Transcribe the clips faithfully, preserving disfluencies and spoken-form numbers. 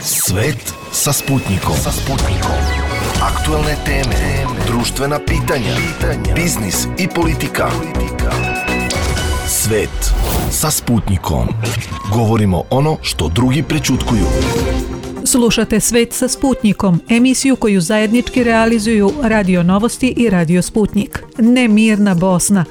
Svet sa Sputnikom. Sa Sputnikom. Aktuelne teme, društvena pitanja, biznis i politika. Svet sa Sputnikom. Govorimo ono što drugi prećutkuju. Slušate Svet sa Sputnikom, emisiju koju zajednički realizuju Radio Novosti i Radio Sputnik. Nemirna Bosna.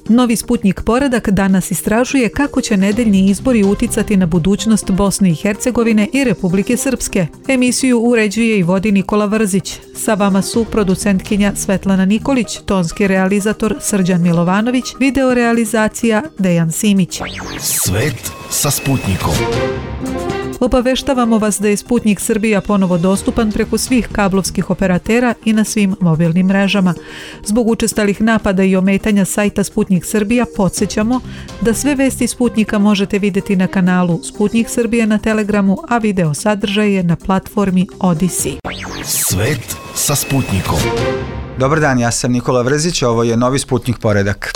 Novi Sputnik Poredak danas istražuje kako će nedeljni izbori uticati na budućnost Bosne i Hercegovine i Republike Srpske. Emisiju uređuje i vodi Nikola Vrzić. Sa vama su producentkinja Svetlana Nikolić, tonski realizator Srđan Milovanović, video realizacija Dejan Simić. Svet sa Sputnikom. Obaveštavamo vas da je Sputnik Srbija ponovo dostupan preko svih kablovskih operatera i na svim mobilnim mrežama. Zbog učestalih napada i ometanja sajta Sputnik Srbija podsjećamo da sve vesti Sputnika možete vidjeti na kanalu Sputnik Srbije na Telegramu, a video sadržaj je na platformi Odisi. Svet sa Sputnikom. Dobar dan, ja sam Nikola Vrzić, ovo je Novi Sputnik Poredak.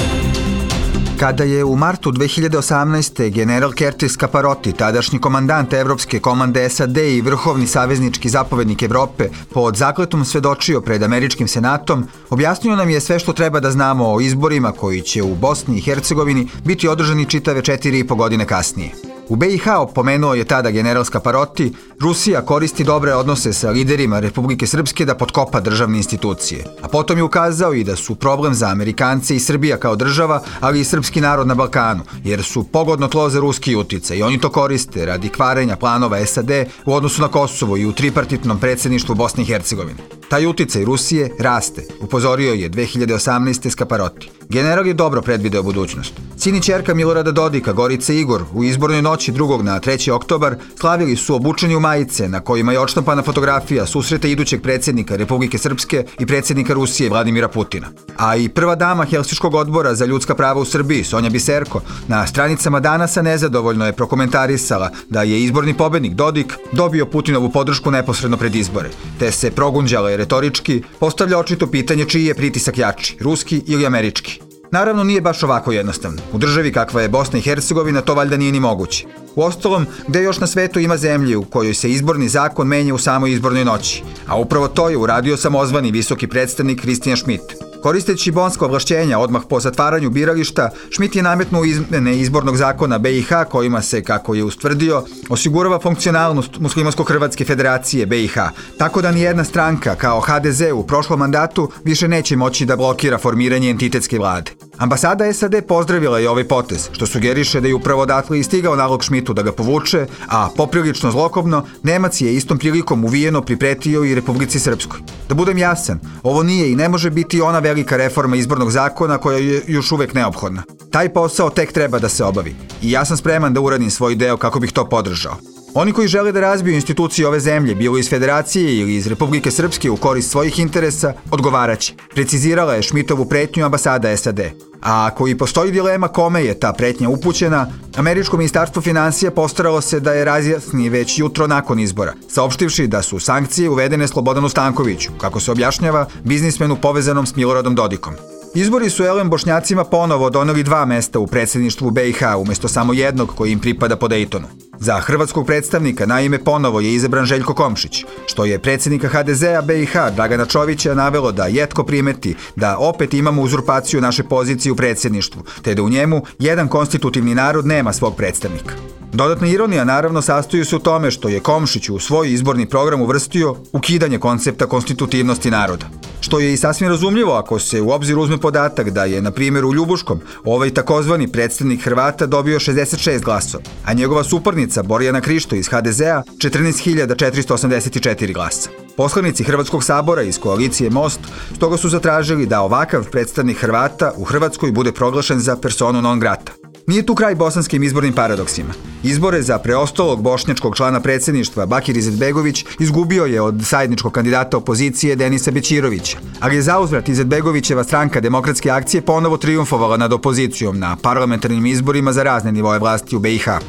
Kada je u martu dve hiljade osamnaeste. general Curtis Caparotti, tadašnji komandant Evropske komande S A D i vrhovni saveznički zapovednik Evrope, pod zakletom svedočio pred američkim senatom, objasnio nam je sve što treba da znamo o izborima koji će u Bosni i Hercegovini biti održani čitave četiri i po godine kasnije. U B i H, opomenuo je tada general Caparotti, Rusija koristi dobre odnose sa liderima Republike Srpske da potkopa državne institucije. A potom je ukazao i da su problem za Amerikance i Srbija kao država, ali i srpski narod na Balkanu, jer su pogodno tlo za ruski uticaj i oni to koriste radi kvarenja planova S A D u odnosu na Kosovo i u tripartitnom predsjedništvu Bosne i Hercegovine. Taj uticaj Rusije raste, upozorio je dve hiljade osamnaeste. Caparotti. General je dobro predvideo budućnost. Sin i ćerka Milorada Dodika, Gorica i Igor, u izbornoj noći drugog na treći oktobar slavili su obučeni u majice na kojima je odštampana fotografija susreta idućeg predsjednika Republike Srpske i predsjednika Rusije Vladimira Putina. A i prva dama Helsinškog odbora za ljudska prava u Srbiji, Sonja Biserko, na stranicama Danasa nezadovoljno je prokomentarisala da je izborni pobednik Dodik dobio Putinovu podršku neposredno pred izbore, te se progunđala i retorički postavlja očito pitanje čiji je pritisak jači, ruski ili američki. Naravno, nije baš ovako jednostavno. U državi kakva je Bosna i Hercegovina to valjda nije ni moguće. Uostalom, gde još na svetu ima zemlje u kojoj se izborni zakon menja u samoj izbornoj noći, a upravo to je uradio samozvani visoki predstavnik Christian Schmidt. Koristeći bonska ovlašćenja odmah po zatvaranju birališta, Schmidt je nametnuo izmene izbornog zakona B i H kojima se, kako je ustvrdio, osigurava funkcionalnost Muslimansko-Hrvatske federacije B i H, tako da nijedna stranka kao H D Z u prošlom mandatu više neće moći da blokira formiranje entitetske vlade. Ambasada S A D pozdravila je ovaj potez, što sugeriše da je upravo odatle i stigao nalog Schmidtu da ga povuče, a poprilično zlokobno, Nemac je istom prilikom uvijeno pripretio i Republici Srpskoj. Da budem jasan, ovo nije i ne može biti ona velika reforma izbornog zakona koja je još uvek neophodna. Taj posao tek treba da se obavi i ja sam spreman da uradim svoj deo kako bih to podržao. Oni koji žele da razbiju institucije ove zemlje, bilo iz Federacije ili iz Republike Srpske u korist svojih interesa, odgovaraće. Precizirala je Schmidtovu pretnju ambasada S A D. A ako i postoji dilema kome je ta pretnja upućena, američko ministarstvo finansija postaralo se da je razjasni već jutro nakon izbora, saopštivši da su sankcije uvedene Slobodanu Stankoviću, kako se objašnjava, biznismenu povezanom s Miloradom Dodikom. Izbori su elem Bošnjacima ponovo doneli dva mesta u predsjedništvu B i H umjesto samo jednog koji im pripada po Dejtonu. Za hrvatskog predstavnika naime ponovo je izabran Željko Komšić, što je predsjednika H D Z-a B i H Dragana Čovića navelo da jetko primeti da opet imamo uzurpaciju naše pozicije u predsjedništvu, te da u njemu jedan konstitutivni narod nema svog predstavnika. Dodatna ironija naravno sastoji se u tome što je Komšić u svoj izborni program uvrstio ukidanje koncepta konstitutivnosti naroda. Što je i sasvim razumljivo ako se u obzir uzme podatak da je, na primjer, u Ljubuškom ovaj takozvani predstavnik Hrvata dobio šezdeset šest glasova, a njegova suparnica Borjana Krišto iz H D Z-a četrnaest hiljada četiristo osamdeset četiri glasa. Poslanici Hrvatskog sabora iz koalicije Most stoga su zatražili da ovakav predstavnik Hrvata u Hrvatskoj bude proglašen za personu non grata. Nije tu kraj bosanskim izbornim paradoksima. Izbore za preostalog bošnjačkog člana predsjedništva Bakir Izetbegović izgubio je od zajedničkog kandidata opozicije Denisa Bećirovića, ali je zauzvrat Izetbegovićeva stranka Demokratske akcije ponovo trijumfovala nad opozicijom na parlamentarnim izborima za razne nivoje vlasti u B i H.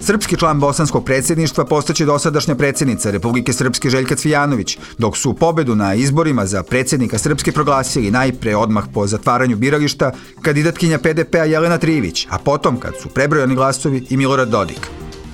Srpski član bosanskog predsjedništva postaće dosadašnja predsjednica Republike Srpske Željka Cvijanović, dok su pobedu na izborima za predsjednika Srpske proglasili najpre odmah po zatvaranju birališta kandidatkinja P D P-a Jelena Trivić, a potom, kad su prebrojani glasovi, i Milorad Dodik.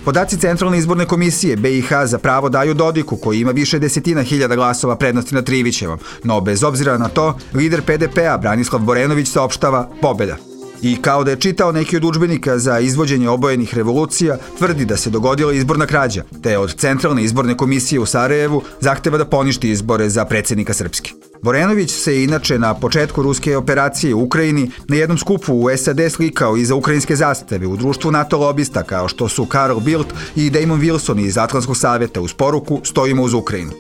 Podaci Centralne izborne komisije B i H za pravo daju Dodiku, koji ima više desetina hiljada glasova prednosti nad Trivićevom, no bez obzira na to, lider P D P-a Branislav Borenović saopštava pobjeda. I kao da je čitao neki od udžbenika za izvođenje obojenih revolucija, tvrdi da se dogodila izborna krađa, te od Centralne izborne komisije u Sarajevu zahteva da poništi izbore za predsjednika Srpske. Borenović se inače na početku ruske operacije u Ukrajini na jednom skupu u S A D slikao iza ukrajinske zastave u društvu NATO lobista kao što su Carl Bildt i Damon Wilson iz Atlantskog savjeta uz poruku "Stojimo uz Ukrajinu".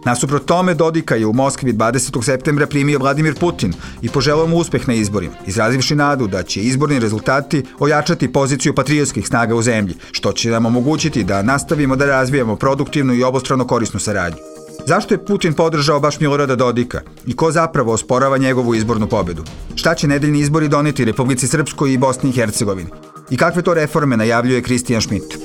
Nasuprot tome, Dodika je u Moskvi dvadesetog septembra primio Vladimir Putin i poželeo mu uspeh na izborima, izrazivši nadu da će izborni rezultati ojačati poziciju patriotskih snaga u zemlji, što će nam omogućiti da nastavimo da razvijamo produktivnu i obostrano korisnu saradnju. Zašto je Putin podržao baš Milorada Dodika i ko zapravo osporava njegovu izbornu pobedu? Šta će nedeljni izbori doneti Republici Srpskoj i Bosni i Hercegovini? I kakve to reforme najavljuje Kristijan Šmit?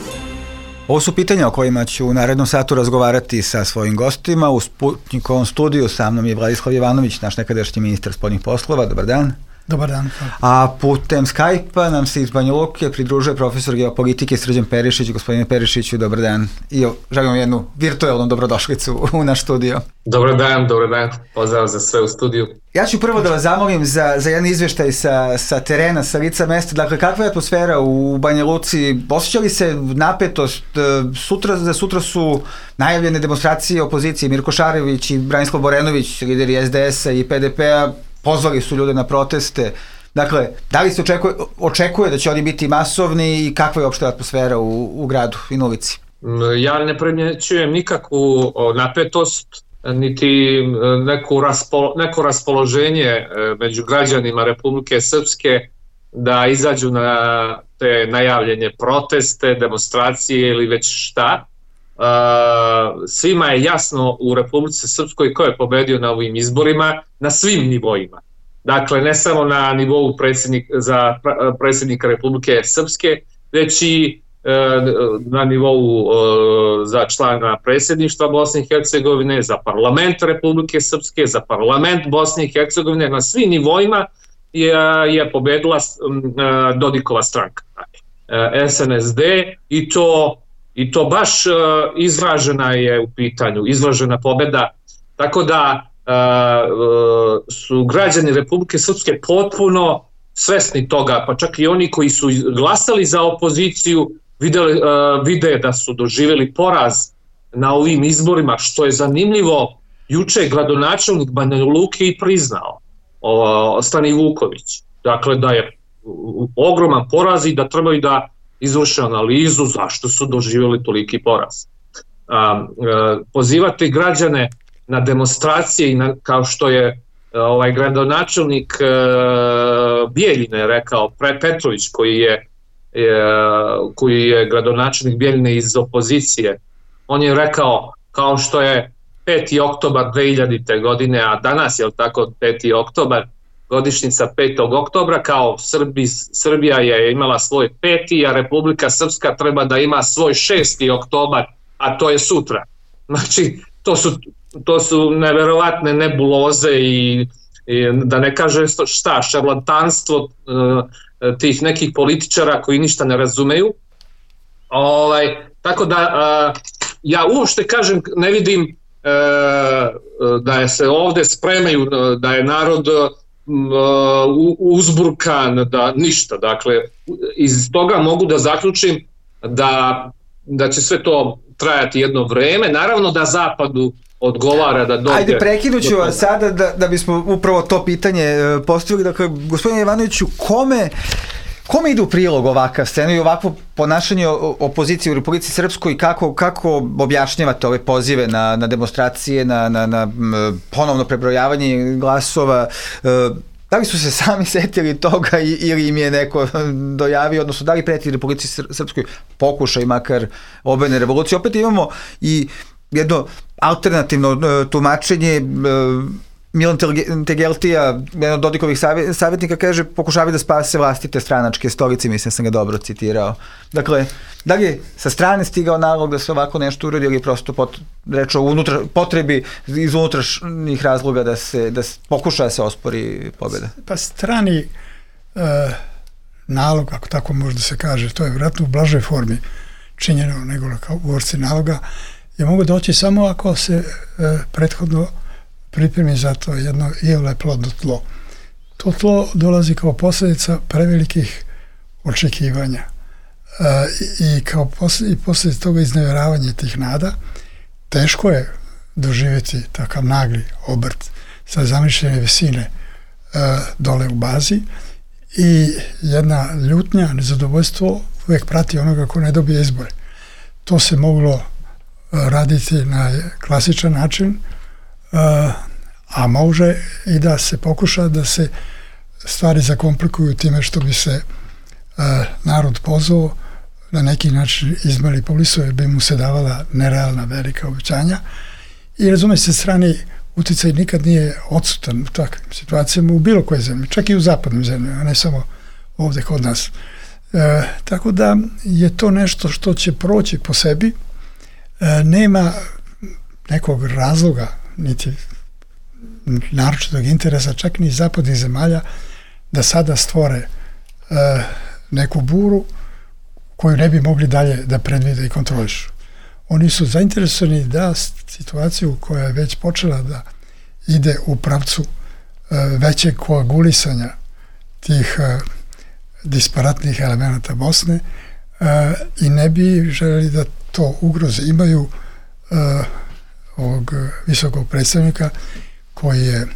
Ovo su pitanja o kojima ću u narednom satu razgovarati sa svojim gostima. U Sputnikovom studiju sa mnom je Vladislav Jovanović, naš nekadašnji ministar spoljnih poslova. Dobar dan. Dobar dan. A putem Skype-a nam se iz Banja Luke pridružuje profesor geopolitike Srđan Perišić. Gospodine Perišiću, dobar dan. I želim jednu virtualnu dobrodošlicu u naš studio. Dobar dan, dobar dan. Pozdrav za sve u studiju. Ja ću prvo da vas zamolim za, za jedan izveštaj sa, sa terena, sa lica mesta. Dakle, kakva je atmosfera u Banja Luci? Osjeća li se napetost? Sutra, za sutra su najavljene demonstracije opozicije. Mirko Šarević i Branislav Borenović, lideri S D S-a i P D P-a, pozvali su ljude na proteste. Dakle, da li se očekuje, očekuje da će oni biti masovni i kakva je uopšte atmosfera u, u gradu i na ulici? Ja ne primjećujem nikakvu napetost, niti neku raspolo, neko raspoloženje među građanima Republike Srpske da izađu na te najavljene proteste, demonstracije ili već šta. Svima je jasno u Republici Srpskoj ko je pobedio na ovim izborima na svim nivoima. Dakle, ne samo na nivou predsjednik, za predsjednika Republike Srpske, već i na nivou za člana predsjedništva Bosne i Hercegovine, za parlament Republike Srpske, za parlament Bosne i Hercegovine, na svim nivoima je, je pobedila Dodikova stranka, S N S D, i to, i to baš izražena je u pitanju, izražena pobeda, tako da su građani Republike Srpske potpuno svesni toga, pa čak i oni koji su glasali za opoziciju videli, uh, vide da su doživjeli poraz na ovim izborima, što je zanimljivo. Juče je gradonačelnik Banja Luke i priznao, uh, Stani Vuković, dakle da je ogroman poraz i da trebaju da izvrše analizu zašto su doživjeli toliki poraz. Uh, uh, pozivati građane na demonstracije i na, kao što je uh, ovaj gradonačelnik uh, Bijeljine rekao, Pre Petrović, koji je koji je gradonačelnik Bijeljine iz opozicije, on je rekao kao što je peti oktobar dve hiljadite. godine, a danas je tako peti oktobar, godišnjica petog oktobra, kao Srbi, Srbija je imala svoj peti, a Republika Srpska treba da ima svoj šesti oktobar, a to je sutra. Znači, to su, to su neverovatne nebuloze i, i da ne kažem šta, šarlatanstvo uh, tih nekih političara koji ništa ne razumeju. Ovaj, tako da uh, ja uopšte kažem, ne vidim uh, da je se ovde spremaju, da je narod uh, uzburkan, da ništa. Dakle, iz toga mogu da zaključim da, da će sve to trajati jedno vreme. Naravno da Zapadu odgovara da dođe... Ajde, prekinuću vas sada da, da bismo upravo to pitanje postavili. Dakle, gospodine Jovanoviću, kome, kome ide u prilog ovakav scena i ovakvo ponašanje opozicije u Republici Srpskoj, kako, kako objašnjavate ove pozive na, na demonstracije, na, na, na ponovno prebrojavanje glasova? Da li su se sami setili toga ili im je neko dojavio, odnosno da li preti Republici Srpskoj pokušaj makar obojene revolucije? Opet imamo i jedno alternativno tumačenje. Milan Tegeltija, jedan od Dodikovih savjetnika, kaže pokušavaju da spase vlastite stranačke stolice, mislim sam ga dobro citirao. Dakle, da li je sa strane stigao nalog da se ovako nešto uradi ili prosto pot, reč o unutra, potrebi iz unutrašnjih razloga da se da pokuša da se ospori pobjeda? Pa strani e, nalog, ako tako može da se kaže, to je vjerojatno u blažoj formi, činjeno nego kao u vrsti naloga, je mogu doći samo ako se e, prethodno pripremi za to jedno iole plodno tlo. To tlo dolazi kao posljedica prevelikih očekivanja e, i kao posljedica, i posljedica toga iznevjeravanja tih nada. Teško je doživjeti takav nagli obrt sa zamišljene visine e, dole u bazi i jedna ljutnja, nezadovoljstvo uvijek prati onoga ko ne dobije izbore. To se moglo raditi na klasičan način, a može i da se pokuša da se stvari zakomplikuju time što bi se narod pozvao na neki način izmanipulisao, bi mu se davala nerealna velika obećanja. I razume se, strani utjecaj nikad nije odsutan u takvim situacijama u bilo kojoj zemlji, čak i u zapadnim zemljama, a ne samo ovdje kod nas. E, tako da je to nešto što će proći po sebi. E, nema nekog razloga, niti naročitog interesa, čak ni zapadnih zemalja, da sada stvore e, neku buru koju ne bi mogli dalje da predvide i kontrolišu. Oni su zainteresovani da situaciju koja je već počela da ide u pravcu e, većeg koagulisanja tih e, disparatnih elemenata Bosne e, i ne bi željeli da to ugroze. Imaju e, ovog visokog predstavnika koji je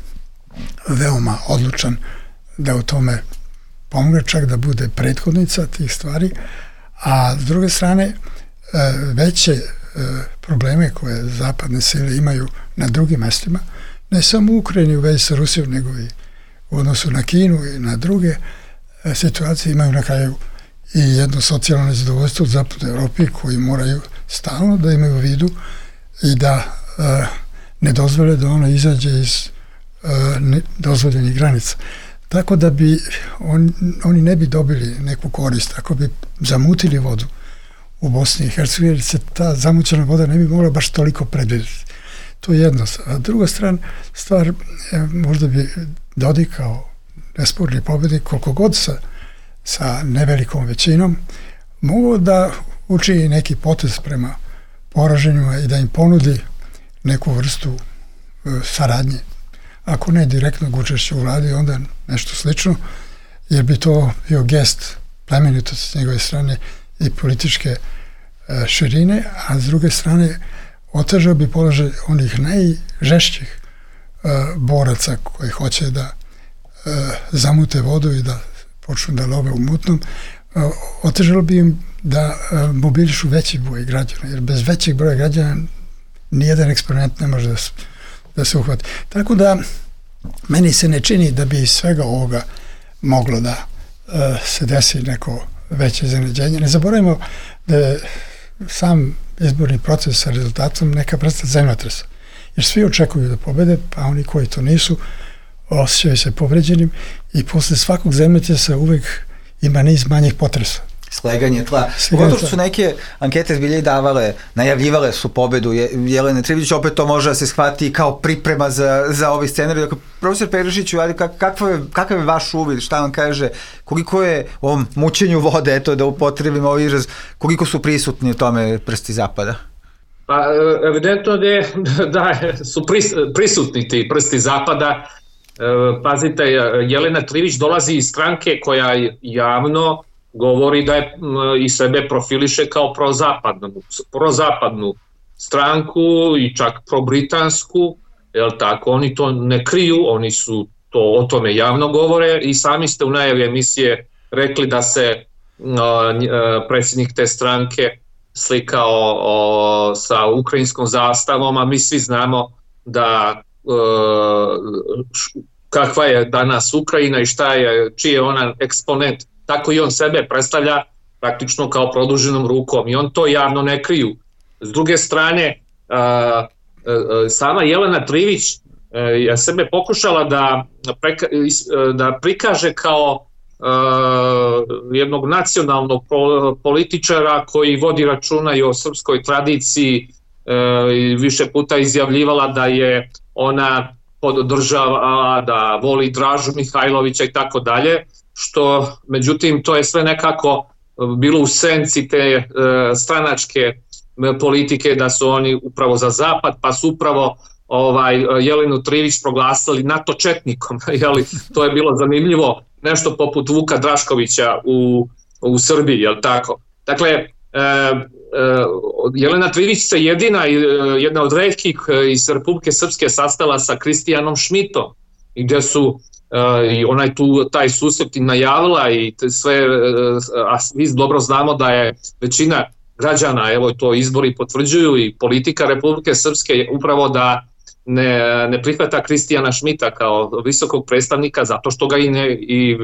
veoma odlučan da u tome pomogne, čak da bude prethodnica tih stvari, a s druge strane e, veće e, probleme koje zapadne sile imaju na drugim mjestima, ne samo u Ukrajini u vezi sa Rusijom, nego i u odnosu na Kinu i na druge e, situacije, imaju na kraju i jedno socijalno nezadovoljstvo u zapadnoj Europi koji moraju stalno da imaju u vidu i da e, ne dozvole da ona izađe iz e, ne, dozvoljenih granica. Tako da bi on, oni ne bi dobili neku korist ako bi zamutili vodu u Bosni i Hercegovini, jer se ta zamućena voda ne bi mogla baš toliko predvidjeti. To je jedno. A druga stran, stvar, možda bi Dodik kao nesporni pobjednik, koliko god sa, sa nevelikom većinom, mogao da učini neki potez prema poraženjima i da im ponudi neku vrstu e, saradnje. Ako ne direktnog učešća u vladi, onda nešto slično, jer bi to bio gest plemenitosti s njegove strane i političke e, širine, a s druge strane otežao bi položaj onih najžešćih e, boraca koji hoće da e, zamute vodu i da počnu da love u mutnom. E, otežalo bi im da e, mobilišu veći broj građana, jer bez većeg broja građana nijedan eksperiment ne može da se, da se uhvati. Tako da meni se ne čini da bi iz svega ovoga moglo da uh, se desi neko veće iznenađenje. Ne zaboravimo da je sam izborni proces sa rezultatom neka vrsta zemljotresa. Jer svi očekuju da pobede, pa oni koji to nisu osjećaju se povređenim i posle svakog zemljotresa uvek ima niz manjih potresa. Sleganje tla. Pogotovo su neke ankete zbilje davale, najavljivale su pobedu Jelene Trivić, opet to može da se shvati kao priprema za, za ovaj scenarij. Dakle, profesor Perišiću, ali kakav je, kakav je vaš uvid, šta vam kaže, koliko je u ovom mučenju vode, eto da upotrebim ovaj izraz, koliko su prisutni u tome prsti zapada? Pa evidentno je da su pris, prisutni ti prsti zapada. Pazite, Jelena Trivić dolazi iz stranke koja javno govori da je i sebe profiliše kao prozapadnu, prozapadnu stranku i čak probritansku, jel tako, oni to ne kriju, oni su to o tome javno govore i sami ste u najavi emisije rekli da se uh, predsjednik te stranke slikao uh, sa ukrajinskom zastavom, a mi svi znamo da uh, š, kakva je danas Ukrajina i šta je, čiji je ona eksponent. Tako i on sebe predstavlja praktično kao produženom rukom i on to javno ne kriju. S druge strane, sama Jelena Trivić je sebe pokušala da, da prikaže kao jednog nacionalnog političara koji vodi računa i o srpskoj tradiciji i više puta izjavljivala da je ona podržava, da voli Dražu Mihajlovića i tako dalje, što međutim to je sve nekako bilo u senci te stranačke politike da su oni upravo za zapad, pa su upravo ovaj, Jelenu Trivić proglasili NATO četnikom. Jeli, to je bilo zanimljivo, nešto poput Vuka Draškovića u, u Srbiji, jel tako? Dakle, e, e, Jelena Trivić se jedina, jedna od retkih iz Republike Srpske sastala sa Kristijanom Šmitom, gdje su i ona je tu taj susret i najavila i sve, a mi dobro znamo da je većina građana, evo to izbori potvrđuju i politika Republike Srpske je upravo da ne, ne prihvata Kristijana Šmita kao visokog predstavnika zato što ga i, ne, i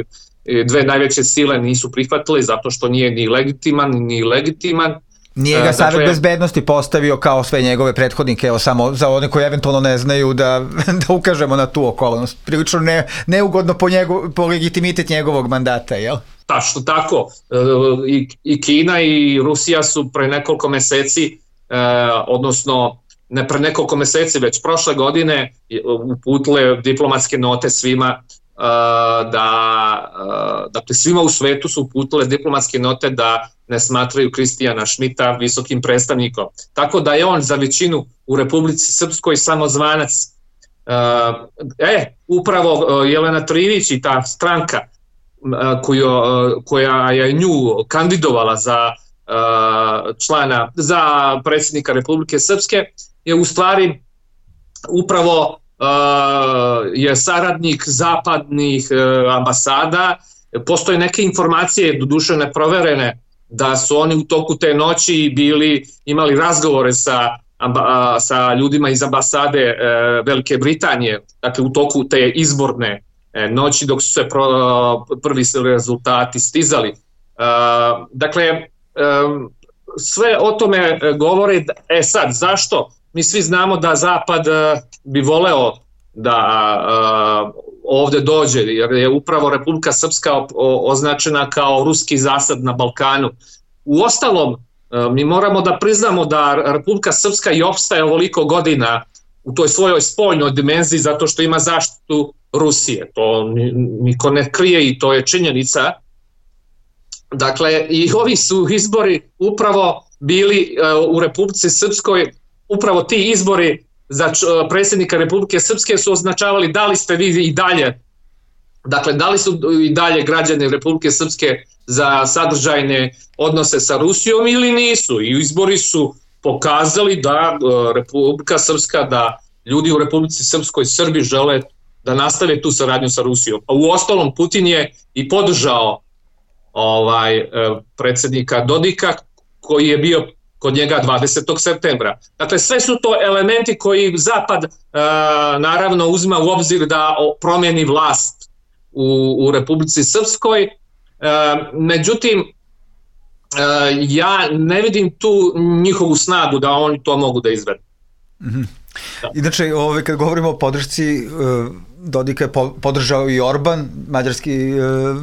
dve najveće sile nisu prihvatili, zato što nije ni legitiman ni legitiman. Nije ga Savet dakle, bezbednosti postavio kao sve njegove prethodnike, evo samo za one koji eventualno ne znaju da, da ukažemo na tu okolnost. Prilično ne, neugodno po, njegov, po legitimitet njegovog mandata, jel? Tačno tako. I, i Kina i Rusija su pre nekoliko meseci, eh, odnosno ne pre nekoliko meseci, već prošle godine uputile diplomatske note svima, eh, da, eh, dakle svima u svetu su uputile diplomatske note da ne smatraju Kristijana Šmita visokim predstavnikom. Tako da je on za većinu u Republici Srpskoj samozvanac. E, upravo Jelena Trivić i ta stranka koju, koja je nju kandidovala za člana, za predsjednika Republike Srpske, je u stvari upravo je saradnik zapadnih ambasada. Postoje neke informacije, doduše neproverene, da su oni u toku te noći bili, imali razgovore sa, sa ljudima iz ambasade e, Velike Britanije, dakle u toku te izborne e, noći dok su se pro, prvi rezultati stizali. E, dakle, e, sve o tome govore, e sad, zašto? Mi svi znamo da Zapad e, bi voleo da e, ovdje dođe, jer je upravo Republika Srpska označena kao ruski zasad na Balkanu. U ostalom, mi moramo da priznamo da Republika Srpska i opstaje ovoliko godina u toj svojoj spoljnoj dimenziji zato što ima zaštitu Rusije. To niko ne krije i to je činjenica. Dakle, i ovi su izbori upravo bili u Republici Srpskoj, upravo ti izbori za predsjednika Republike Srpske su označavali da li ste vi i dalje, dakle da li su i dalje građani Republike Srpske za sadržajne odnose sa Rusijom ili nisu. I izbori su pokazali da Republika Srpska, da ljudi u Republici Srpskoj, Srbi žele da nastave tu saradnju sa Rusijom. A u ostalom Putin je i podržao ovaj, predsjednika Dodika koji je bio kod njega dvadesetog septembra. Dakle, sve su to elementi koji Zapad e, naravno uzima u obzir da promijeni vlast u, u Republici Srpskoj. E, međutim, e, ja ne vidim tu njihovu snagu da oni to mogu da izvedu. Mm-hmm. Inače, ovaj, kad govorimo o podršci, Dodika je podržao i Orban, mađarski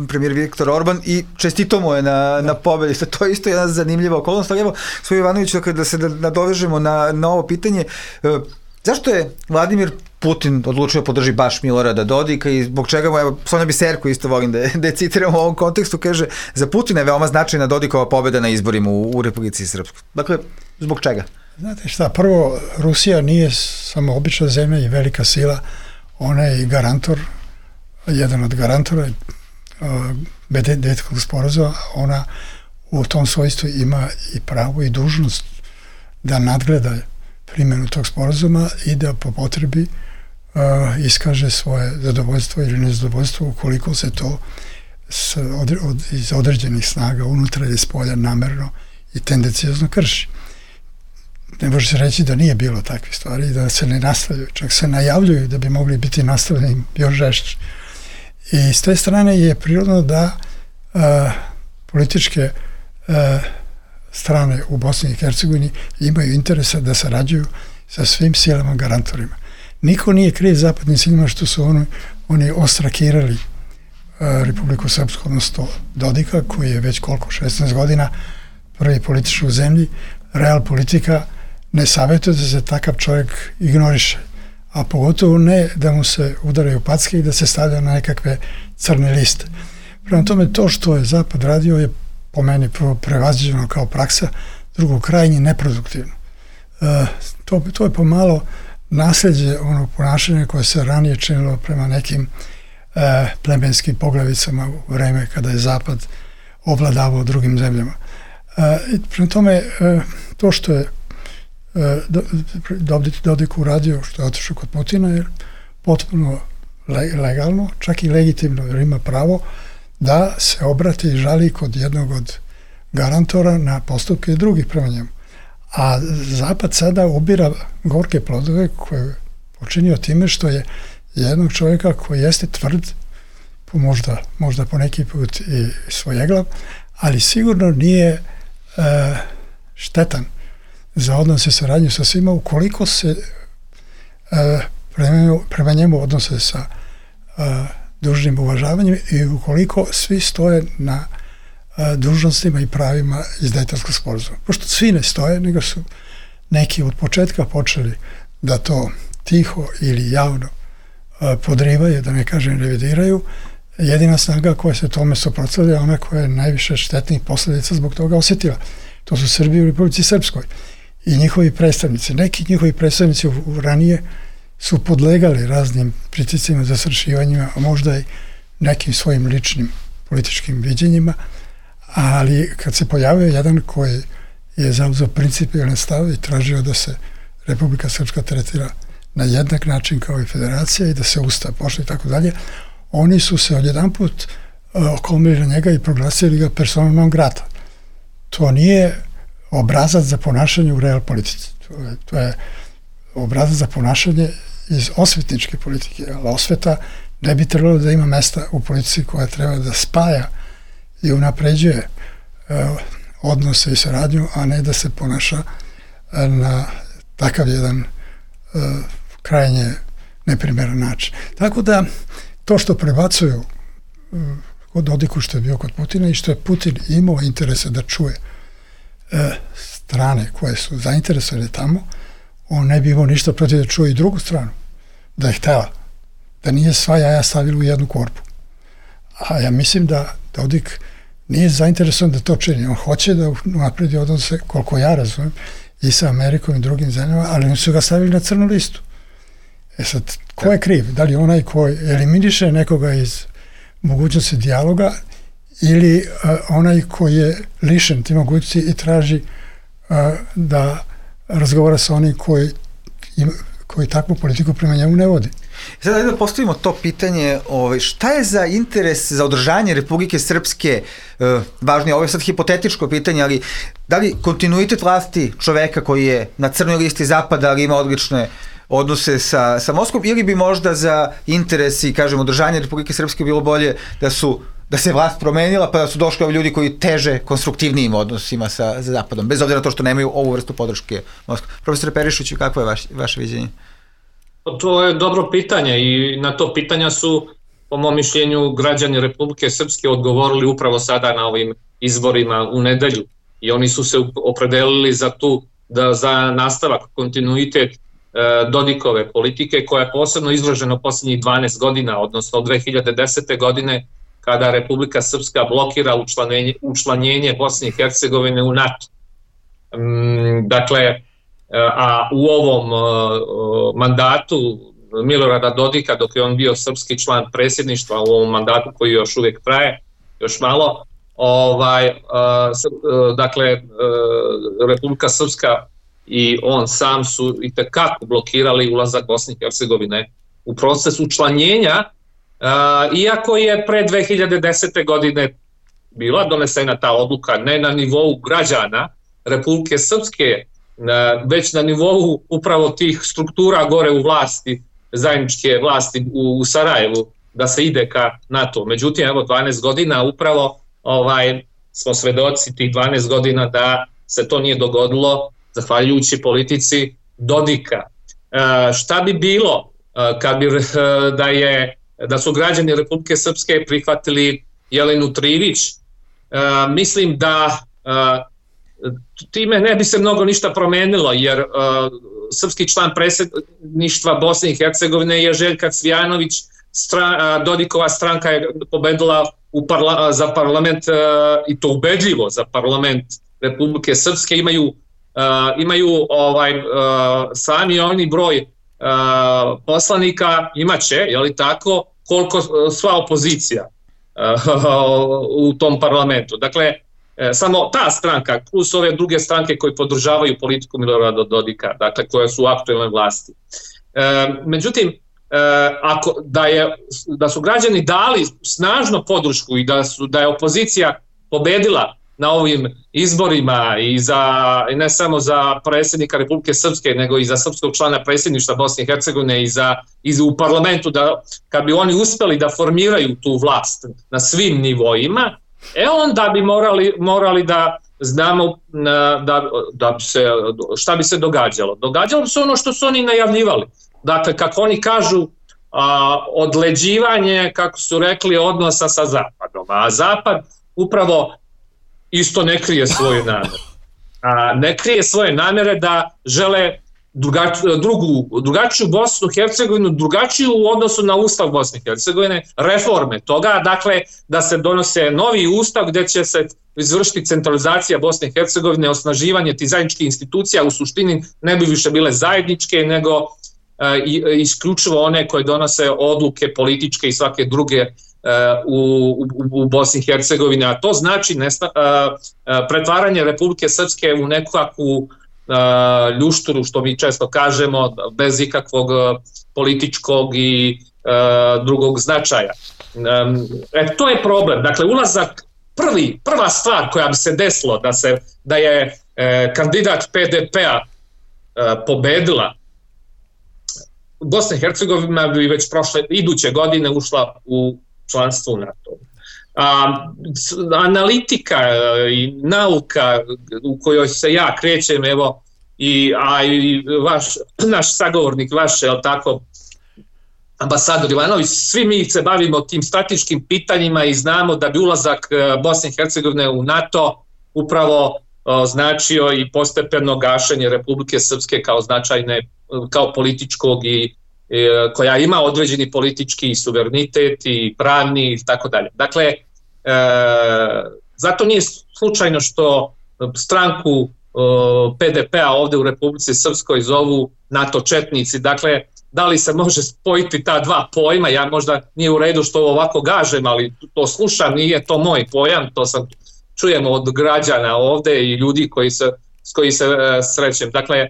premijer Viktor Orban, i čestito mu je na, na pobedi. To je isto jedna zanimljiva okolnost. Ali evo, svoj Ivanović, da se nadovežemo na, na ovo pitanje, zašto je Vladimir Putin odlučio podrži baš Milorada Dodika i zbog čega mu, evo, Sonja Biserko isto volim da je, da je citiram u ovom kontekstu, kaže, za Putina je veoma značajna Dodikova pobeda na izborima u, u Republici Srpskoj. Dakle, zbog čega? Znate šta, prvo, Rusija nije samo obična zemlja i velika sila, ona je i garantor, jedan od garantora Dejtonskog sporazuma. Ona u tom svojstvu ima i pravo i dužnost da nadgleda primjenu tog sporazuma i da po potrebi uh, iskaže svoje zadovoljstvo ili nezadovoljstvo ukoliko se to s, od, od, iz određenih snaga unutra ili spolja namerno i tendencijozno krši. Ne može se reći da nije bilo takve stvari i da se ne nastavljaju, čak se najavljuju da bi mogli biti nastavljeni još žešće. I s te strane je prirodno da uh, političke uh, strane u Bosni i Hercegovini imaju interesa da sarađuju sa svim silama garantorima. Niko nije kriv zapadnim silama što su oni, oni ostrakirali uh, Republiku Srpsku, odnosno Dodika, koji je već koliko, šesnaest godina prvi političar u zemlji. Real politika ne savjetuje da se takav čovjek ignoriše, a pogotovo ne da mu se udaraju packe i da se stavlja na nekakve crne liste. Prema tome, to što je Zapad radio je po meni prvo prevaziđeno kao praksa, drugo krajnje neproduktivno. E, to, to je pomalo nasljeđe onog ponašanja koje se ranije činilo prema nekim e, plemenskim poglavicama u vreme kada je Zapad ovladavao drugim zemljama. E, prema tome, e, to što je e, Dodik uradio, što je otišao kod Putina, je potpuno legalno, čak i legitimno, jer ima pravo da se obrati i žali kod jednog od garantora na postupke drugih prema njemu. A Zapad sada ubira gorke plodove koje je počinio time što je jednog čovjeka koji jeste tvrd, možda, možda po neki put i svojeglav, ali sigurno nije e, štetan za odnose i saradnju sa svima ukoliko se e, prema, prema njemu odnose sa e, dužnim uvažavanjem i ukoliko svi stoje na a, dužnostima i pravima iz Dejtonskog sporazuma. Pošto svi ne stoje, nego su neki od početka počeli da to tiho ili javno a, podrivaju, da ne kažem revidiraju, jedina snaga koja se tome suprotstavlja, ona koja je najviše štetnih posljedica zbog toga osjetila. To su Srbi u Republici Srpskoj i njihovi predstavnici. Neki njihovi predstavnici u, u ranije su podlegali raznim pritiscima, zastrašivanjima, a možda i nekim svojim ličnim političkim viđenjima, ali kad se pojavio jedan koji je zauzeo principijelne stave i tražio da se Republika Srpska tretira na jednak način kao i federacija i da se Ustav poštuje i tako dalje, oni su se odjedanput okomili na njega i proglasili ga personom non grata. To nije obrazac za ponašanje u real politici. To je, to je obrazac za ponašanje iz osvetničke politike, ali osveta ne bi trebalo da ima mesta u politici koja treba da spaja i unapređuje e, odnose i saradnju, a ne da se ponaša e, na takav jedan e, krajnje neprimeran način. Tako da to što prebacuju e, kod Dodiku što je bio kod Putina i što je Putin imao interese da čuje e, strane koje su zainteresovane tamo, on ne bi imao ništa protiv da čuje i drugu stranu, da je htela, da nije sva jaja stavila u jednu korpu. A ja mislim da Dodik nije zainteresovan da to čini. On hoće da napredi odnose, koliko ja razumem, i sa Amerikom i drugim zemljama, ali oni su ga stavili na crnu listu. E sad, ko je kriv? Da li onaj koji eliminiše nekoga iz mogućnosti dijaloga ili uh, onaj koji je lišen ti mogućnosti i traži uh, da razgovara sa onim koji, im, koji takvu politiku prema njemu ne vodi. Sada da postavimo to pitanje, ovaj, šta je za interes za održanje Republike Srpske, eh, važnije, ovo je sad hipotetičko pitanje, ali da li kontinuitet vlasti čoveka koji je na crnoj listi Zapada, ali ima odlične odnose sa, sa Moskvom, ili bi možda za interes i, kažem, održanje Republike Srpske bilo bolje da su da se vlast promenila, pa da su došli ovi ljudi koji teže konstruktivnijim odnosima sa, sa Zapadom, bez obzira na to što nemaju ovu vrstu podrške Moskve. Profesor Perišiću, kakvo je vaš, vaše viđenje? To je dobro pitanje i na to pitanja su, po mom mišljenju, građani Republike Srpske odgovorili upravo sada na ovim izborima u nedelju i oni su se opredelili za tu, da, za nastavak, kontinuitet e, Dodikove politike koja je posebno izražena u posljednjih dvanaest godina, odnosno od dve hiljade desete. godine kada Republika Srpska blokira učlanjenje, učlanjenje Bosne i Hercegovine u NATO. Mm, dakle, a u ovom uh, mandatu Milorada Dodika, dok je on bio srpski član predsjedništva, u ovom mandatu koji još uvijek traje, još malo, ovaj, uh, uh, dakle, uh, Republika Srpska i on sam su itekako blokirali ulazak Bosne i Hercegovine u proces učlanjenja, uh, iako je pre dve hiljade desete. godine bila donesena ta odluka ne na nivou građana Republike Srpske, već na nivou upravo tih struktura gore u vlasti, zajedničke vlasti u, u Sarajevu, da se ide ka NATO. Međutim, evo dvanaest godina upravo ovaj, smo svedoci tih dvanaest godina da se to nije dogodilo zahvaljujući politici Dodika. E, šta bi bilo e, kad bi, e, da, je, da su građani Republike Srpske prihvatili Jelenu Trivić? E, mislim da e, time ne bi se mnogo ništa promenilo, jer uh, srpski član predsjedništva Bosne i Hercegovine je Željka Cvijanović, stra, uh, Dodikova stranka je pobedila u parla, za parlament, i to ubedljivo za parlament Republike Srpske, imaju, imaju ovaj, sami oni broj poslanika, imaće, je li tako, koliko sva opozicija u tom parlamentu. Dakle, samo ta stranka, plus ove druge stranke koje podržavaju politiku Milorada Dodika, dakle, koje su u aktuelnoj vlasti. Međutim, ako da je da su građani dali snažno podršku i da su da je opozicija pobedila na ovim izborima i za i ne samo za predsjednika Republike Srpske, nego i za srpskog člana predsjedništva Bosne i Hercegovine i za i u parlamentu, da kad bi oni uspeli da formiraju tu vlast na svim nivoima, e onda bi morali morali da znamo da da bi se šta bi se događalo. Događalo bi se ono što su oni najavljivali. Dakle, kako oni kažu, a, odleđivanje, kako su rekli, odnosa sa Zapadom. A Zapad upravo isto ne krije svoje namere. A, ne krije svoje namere da žele drugač, drugu, drugačiju Bosnu i Hercegovinu, drugačiju u odnosu na Ustav Bosne i Hercegovine, reforme toga, dakle, da se donose novi ustav gdje će se izvršiti centralizacija Bosne i Hercegovine, osnaživanje tih zajedničkih institucija, u suštini ne bi više bile zajedničke, nego I, isključivo one koje donose odluke političke i svake druge u, u, u Bosni i Hercegovini, a to znači nesta, pretvaranje Republike Srpske u nekakvu ljušturu, što mi često kažemo, bez ikakvog političkog i drugog značaja. E, to je problem. Dakle, ulazak, prvi, prva stvar koja bi se desilo da, se, da je kandidat P D P-a pobedila, Bosna i Hercegovina bi već prošle, iduće godine ušla u članstvo u NATO. A, analitika i nauka u kojoj se ja krećem, evo, i, a i vaš, naš sagovornik, vaš, je li tako, ambasador Ivanović, svi mi se bavimo tim strateškim pitanjima i znamo da bi ulazak Bosne i Hercegovine u NATO upravo o, značio i postepeno gašenje Republike Srpske kao značajne, kao političkog i, i koja ima određeni politički suverenitet i pravni i tako dalje. Dakle, e, zato nije slučajno što stranku o, P D P-a ovdje u Republici Srpskoj zovu NATO četnici. Dakle, da li se može spojiti ta dva pojma? Ja možda nije u redu što ovako gažem, ali to slušam, nije to moj pojam, to sam čujemo od građana ovdje i ljudi koji se, s koji se e, srećem. Dakle, e,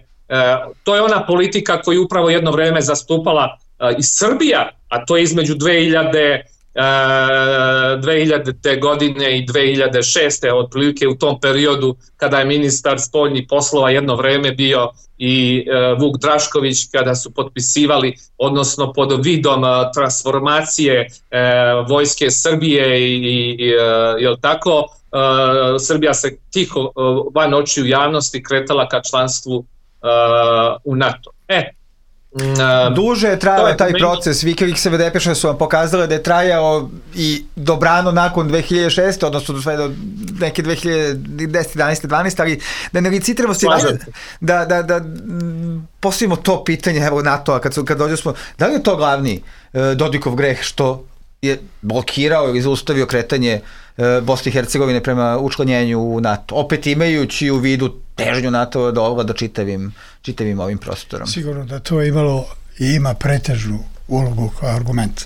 to je ona politika koju upravo jedno vrijeme zastupala e, i Srbija, a to je između dve hiljade godine i dve hiljade šeste. otprilike u tom periodu kada je ministar spoljnih poslova jedno vrijeme bio i e, Vuk Drašković, kada su potpisivali, odnosno pod vidom e, transformacije e, vojske Srbije i, i e, jel tako, e, Srbija se tiho e, van očiju javnosti kretala ka članstvu e, u NATO. E, Duže je trajao je taj proces. Wikileaksove depeše su vam pokazale da je trajao i dobrano nakon dve hiljade šeste. odnosno sve do neke dve hiljade deset, jedanaest, dvanaest. ali da ne licitiramo se da, da, da postavimo to pitanje, evo NATO-a kad, kad dođe smo, da li je to glavni e, Dodikov greh što je blokirao ili zaustavio kretanje e, Bosne i Hercegovine prema učlanjenju u NATO, opet imajući u vidu težnju NATO da ovlada čitavim, čitavim ovim prostorom? Sigurno da to je imalo i ima pretežnu ulogu kao argument,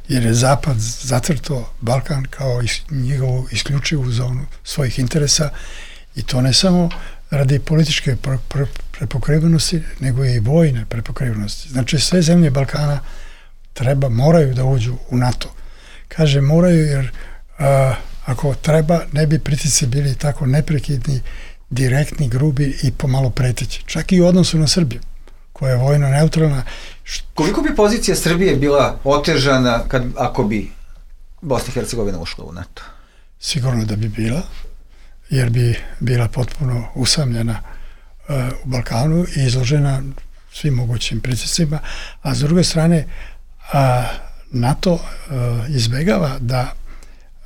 jer je Zapad zacrtao Balkan kao is, njegovu isključivu zonu svojih interesa, i to ne samo radi političke pre, pre, prepokrivenosti, nego i vojne prepokrivenosti. Znači, sve zemlje Balkana treba, moraju da uđu u NATO. Kaže moraju jer a, ako treba ne bi pritisci bili tako neprekidni, direktni, grubi i pomalo preteći. Čak i u odnosu na Srbiju, koja je vojno neutralna. Što... Koliko bi pozicija Srbije bila otežana kad, ako bi Bosna i Hercegovina ušla u NATO? Sigurno da bi bila, jer bi bila potpuno usamljena uh, u Balkanu i izložena svim mogućim pritiscima, a s druge strane uh, NATO uh, izbegava da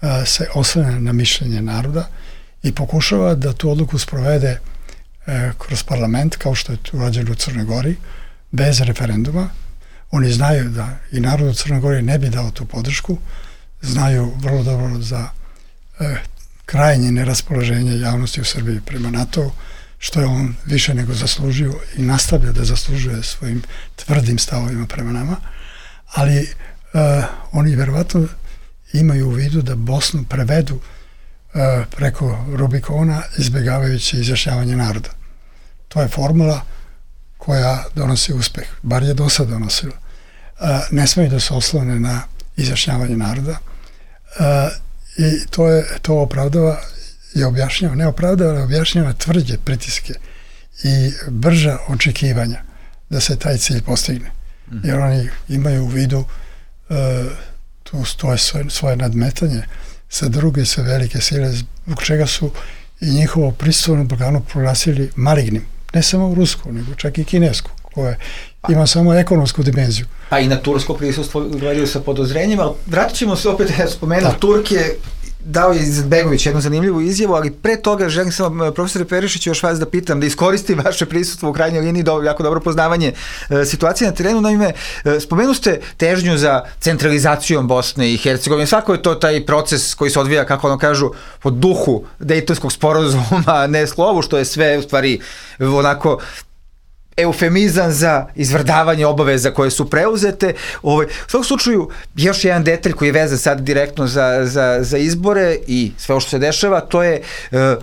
uh, se oslanja na mišljenje naroda i pokušava da tu odluku sprovede e, kroz parlament, kao što je to urađeno u Crnoj Gori, bez referenduma. Oni znaju da i narod u Crnoj Gori ne bi dao tu podršku, znaju vrlo dobro za e, krajnje neraspoloženje javnosti u Srbiji prema NATO, što je on više nego zaslužio i nastavlja da zaslužuje svojim tvrdim stavovima prema nama, ali e, oni verovatno imaju u vidu da Bosnu prevedu e, preko Rubikona izbjegavajući izjašnjavanje naroda. To je formula koja donosi uspeh, bar je do sada donosila. E, ne smiju da se oslone na izjašnjavanje naroda e, i to, je, to opravdava i objašnjava, ne opravdava, ali objašnjava tvrđe pritiske i brža očekivanja da se taj cilj postigne. Jer oni imaju u vidu e, tu stoje svoje, svoje nadmetanje sa druge sve velike sile, zbog čega su i njihovo prisustvo na Balkanu proglasili malignim. Ne samo rusku, nego čak i kinesku, koja ima samo ekonomsku dimenziju. Pa i na tursko prisustvo gledaju sa podozrenjima, ali vratit ćemo se opet, ja spomenuo, Turke, dao je Izetbegović jednu zanimljivu izjavu, ali pre toga želim samo, profesore Perišić, još vas da pitam, da iskoristim vaše prisustvo u krajnjoj liniji, do, jako dobro poznavanje e, situacije na terenu. Naime, e, spomenu ste težnju za centralizacijom Bosne i Hercegovine. Svako je to taj proces koji se odvija, kako ono kažu, po duhu Dejtonskog sporazuma, ne slovu, što je sve u stvari onako eufemizam za izvrdavanje obaveza koje su preuzete. Ovaj, u svakom slučaju, još jedan detalj koji je vezan sad direktno za, za, za izbore i sve ovo što se dešava, to je e,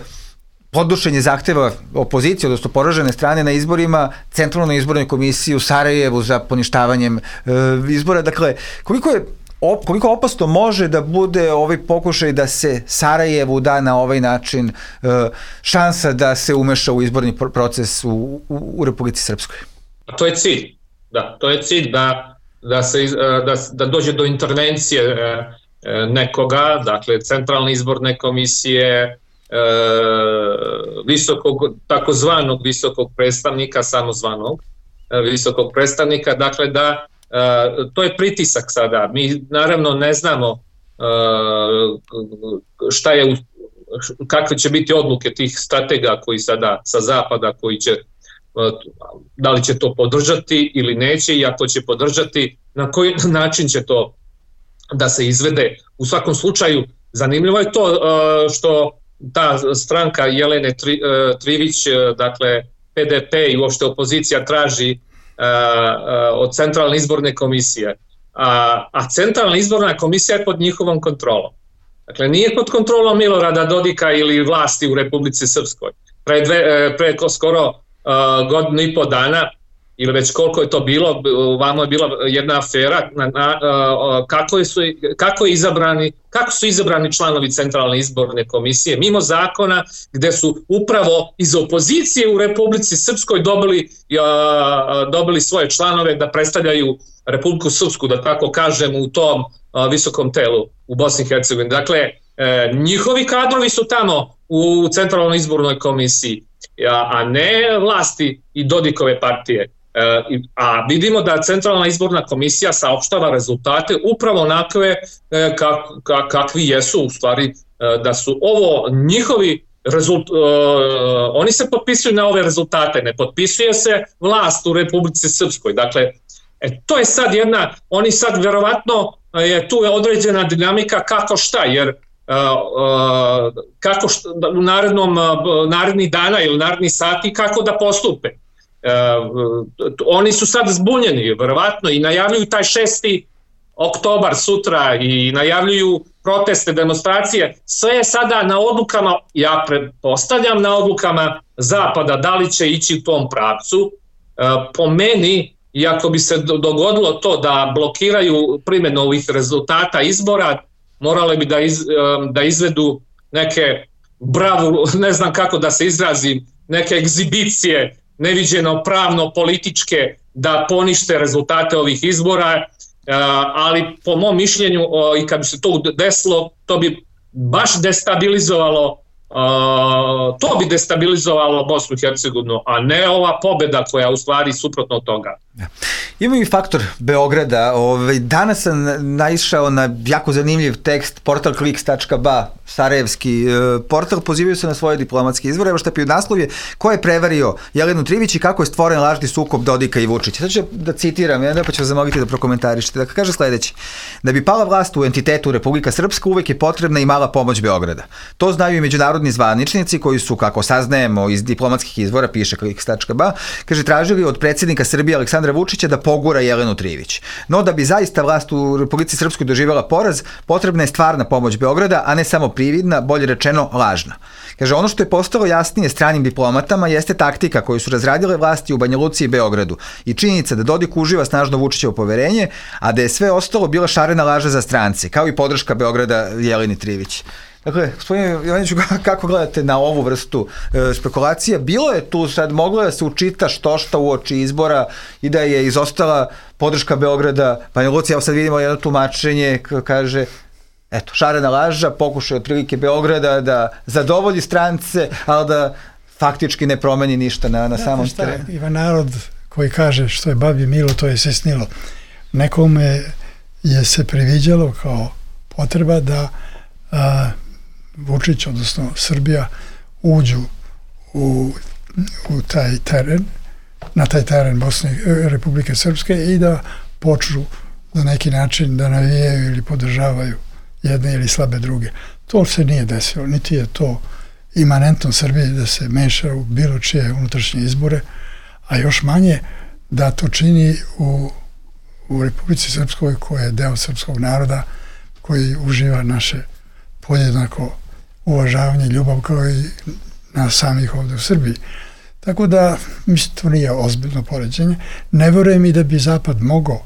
podnošenje zahteva opozicije, odnosno poražene strane na izborima, Centralnoj izbornoj komisiji u Sarajevu za poništavanjem e, izbora. Dakle, koliko je Op, koliko opasno može da bude ovaj pokušaj da se Sarajevu da na ovaj način e, šansa da se umeša u izborni proces u, u, u Republici Srpskoj? To je cilj, da, to je cilj da, da, se, da, da dođe do intervencije e, nekoga, dakle Centralne izborne komisije, e, visokog, takozvanog visokog predstavnika, samozvanog e, visokog predstavnika, dakle da Uh, to je pritisak sada. Mi naravno ne znamo uh, šta je, kakve će biti odluke tih stratega koji sada sa zapada, koji će, uh, da li će to podržati ili neće, i ako će podržati, na koji način će to da se izvede. U svakom slučaju, zanimljivo je to uh, što ta stranka Jelene Tri, uh, Trivić, uh, dakle P D P i uopšte opozicija traži Uh, uh, od Centralne izborne komisije, a, a Centralna izborna komisija je pod njihovom kontrolom. Dakle, nije pod kontrolom Milorada Dodika ili vlasti u Republici Srpskoj. Pre, dve, pre skoro uh, godinu i po dana, ili već koliko je to bilo, vamo je bila jedna afera na, na, uh, kako, je su, kako, je izabrani, kako su izabrani članovi Centralne izborne komisije mimo zakona, gde su upravo iz opozicije u Republici Srpskoj dobili, uh, dobili svoje članove da predstavljaju Republiku Srpsku, da tako kažem, u tom uh, visokom telu u Bosni i Hercegovini. Dakle, uh, njihovi kadrovi su tamo u Centralnoj izbornoj komisiji, a ne vlasti i Dodikove partije. A vidimo da Centralna izborna komisija saopštava rezultate upravo onakve kak, kak, kakvi jesu, u stvari da su ovo njihovi rezultati, oni se potpisuju na ove rezultate, ne potpisuje se vlast u Republici Srpskoj. Dakle, e, to je sad jedna, oni sad verovatno je tu je određena dinamika kako šta, jer Uh, uh, kako šta, u narednom, uh, narednih dana ili narednih sati kako da postupe. Uh, oni su sad zbunjeni, verovatno, i najavljuju taj šesti oktobar sutra i najavljuju proteste, demonstracije. Sve je sada na odlukama, ja pretpostavljam na odlukama Zapada, da li će ići u tom pravcu. Uh, po meni, iako bi se dogodilo to da blokiraju primjenu ovih rezultata izbora, morale bi da, iz, da izvedu neke bravu, ne znam kako da se izrazim, neke egzibicije neviđeno pravno političke da ponište rezultate ovih izbora, ali po mom mišljenju i kad bi se to desilo, to bi baš destabilizovalo to bi destabilizovalo Bosnu i Hercegovinu, a ne ova pobeda koja u stvari suprotno od toga. Ima i faktor Beograda. Ove, danas sam naišao na jako zanimljiv tekst, portal kliks tačka ba, sarajevski portal, pozivaju se na svoje diplomatske izvore. Evo šta piju naslov je ko je prevario Jelenu Trivić i kako je stvoren lažni sukob Dodika i Vučića. Sad ću da citiram, ja pa ću vas zamoliti da prokomentarišete. Dakle, kaže sledeće. Da bi pala vlast u entitetu Republika Srpska, uvek je potrebna i mala pomoć Beograda. To znaju i međunarodni zvaničnici koji su, kako saznajemo iz diplomatskih izvora, piše kliks tačka ba, kaže, tražili od predsjednika Srbije Aleksandra Vučića da pogura Jelenu Trivić. No, da bi zaista vlast u Republici Srpskoj doživjela poraz, potrebna je stvarna pomoć Beograda, a ne samo prividna, bolje rečeno lažna. Kaže, ono što je postalo jasnije stranim diplomatama jeste taktika koju su razradile vlasti u Banja Luci i Beogradu i činjenica da Dodik uživa snažno Vučićevo poverenje, a da je sve ostalo bila šarena laža za strance, kao i podrška Beograda Jeleni Trivić. Dakle, gospodine Jovanoviću, kako gledate na ovu vrstu e, spekulacija? Bilo je tu sad, moglo da se učita što šta u oči izbora i da je izostala podrška Beograda, Banja Luci, evo sad vidimo jedno tumačenje, kaže, eto, šarena laža, pokušaj otprilike Beograda da zadovolji strance, ali da faktički ne promeni ništa na, na samom terenu. Ima narod koji kaže što je babi milo, to je se snilo. Nekome je se priviđalo kao potreba da a, Vučić, odnosno Srbija, uđu u, u taj teren, na taj teren Bosne, Republike Srpske i da počnu na neki način da navijaju ili podržavaju jedne ili slabe druge. To se nije desilo, niti je to imanentno Srbiji da se meša u bilo čije unutrašnje izbore, a još manje da to čini u, u Republici Srpskoj koja je deo srpskog naroda koji uživa naše podjednako uvažavanje, ljubav kao i nas samih ovde u Srbiji. Tako da, mislim, to nije ozbiljno poređenje. Ne verujem i da bi Zapad mogao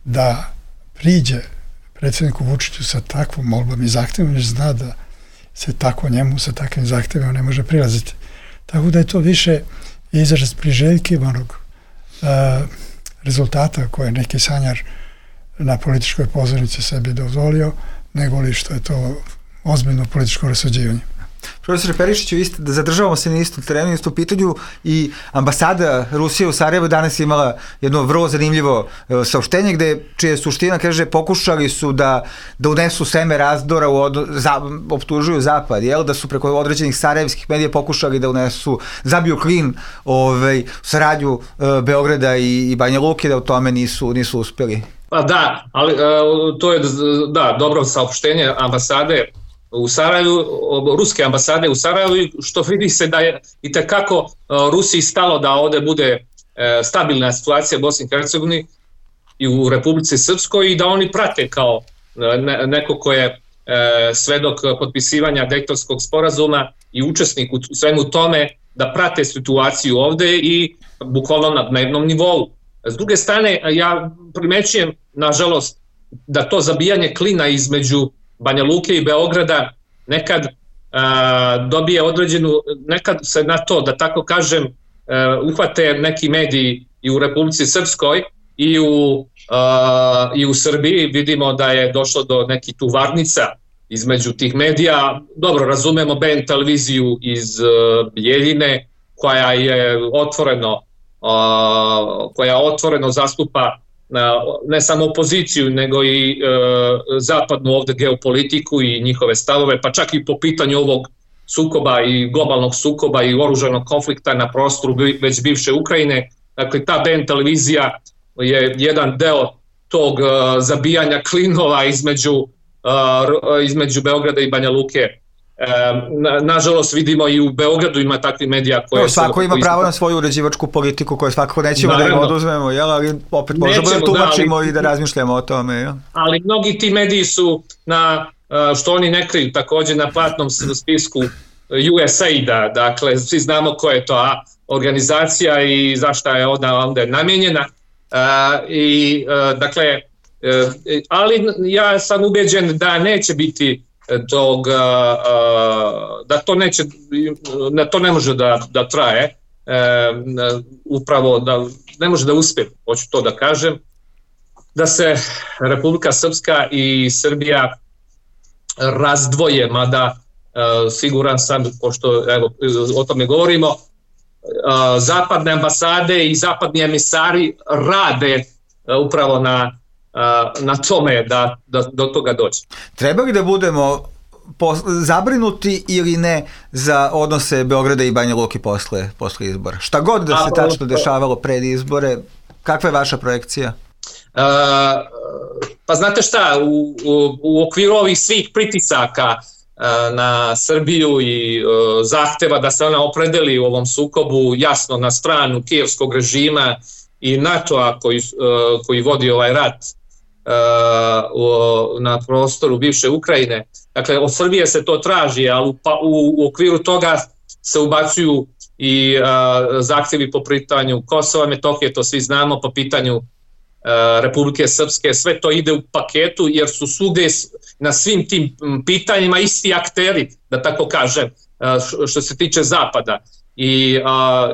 da priđe predsjedniku Vučiću sa takvom molbom i zahtjevom, jer zna da se tako njemu sa takvim zahtjevima ne može prilaziti. Tako da je to više izraz priželjkivanog uh, rezultata koje neki sanjar na političkoj pozornici sebi dozvolio, nego li što je to ozbiljno političko rasuđivanje. Profesor Perišiću, da zadržavamo se na istom terenu, isto u pitanju i ambasada Rusije u Sarajevu danas je imala jedno vrlo zanimljivo saopštenje gde, čije suština kaže, pokušali su da, da unesu seme razdora, u od, za, optužuju Zapad, jel, da su preko određenih sarajevskih medija pokušali da unesu, zabiju klin ovaj, saradnju uh, Beograda i, i Banja Luke, da u tome nisu, nisu uspeli. Pa da, ali uh, to je da, dobro saopštenje ambasade u Sarajevu, ruske ambasade u Sarajevu, što vidi se da je i tekako Rusiji stalo da ovde bude stabilna situacija u Bosni i Hercegovini i u Republici Srpskoj i da oni prate kao neko ko je svedok potpisivanja Dejtonskog sporazuma i učesnik u svemu tome, da prate situaciju ovde i bukvalno na dnevnom nivou. S druge strane, ja primećujem, nažalost, da to zabijanje klina između Banja Luke i Beograda nekad a, dobije određenu, nekad se na to, da tako kažem, a, uhvate neki mediji i u Republici Srpskoj i u, a, i u Srbiji. Vidimo da je došlo do nekih tu varnica između tih medija. Dobro, razumemo B N televiziju iz Bijeljine koja je otvoreno, a, koja otvoreno zastupa ne samo opoziciju, nego i e, zapadnu ovde geopolitiku i njihove stavove, pa čak i po pitanju ovog sukoba i globalnog sukoba i oružanog konflikta na prostoru već bivše Ukrajine. Dakle, ta B N televizija je jedan deo tog e, zabijanja klinova između, e, između Beograda i Banja Luke. Na, nažalost vidimo i u Beogradu ima takvi medija koje... No, svako ima pravo na svoju uređivačku politiku koju svakako nećemo Naravno. da im oduzmemo, jel? Ali opet možemo da tumačimo da, ali, i da razmišljamo o tome. Jel? Ali mnogi ti mediji su, na, što oni ne kriju, također na platnom spisku U S A I D-a, dakle svi znamo ko je to a, organizacija i zašto je ona onda namijenjena. A, i, a, dakle, a, ali ja sam ubeđen da neće biti tog, da to neće, da to ne može da, da traje, upravo da ne može da uspije, hoću to da kažem, da se Republika Srpska i Srbija razdvoje, mada siguran sam, pošto evo, o tome govorimo, zapadne ambasade i zapadni emisari rade upravo na, na tome da, da do toga dođe. Treba li da budemo zabrinuti ili ne za odnose Beograda i Banja Luke posle, posle izbora? Šta god da se tačno dešavalo pred izbore, kakva je vaša projekcija? Uh, pa znate šta, u, u, u okviru ovih svih pritisaka uh, na Srbiju i uh, zahteva da se ona opredeli u ovom sukobu jasno na stranu kijevskog režima i NATO-a koji, uh, koji vodi ovaj rat uh, na prostoru bivše Ukrajine. Dakle, od Srbije se to traži, ali u, pa, u, u okviru toga se ubacuju i uh, zahtjevi po pitanju Kosova, Metohije, to svi znamo, po pitanju Republike Srpske, sve to ide u paketu jer su svugdje na svim tim pitanjima isti akteri, da tako kažem, što se tiče Zapada. I, a,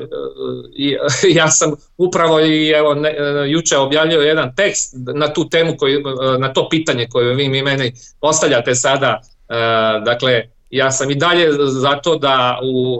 i ja sam upravo i evo ne, juče objavljio jedan tekst na tu temu, koji, na to pitanje koje vi mi meni postavljate sada. A, dakle, ja sam i dalje zato da u,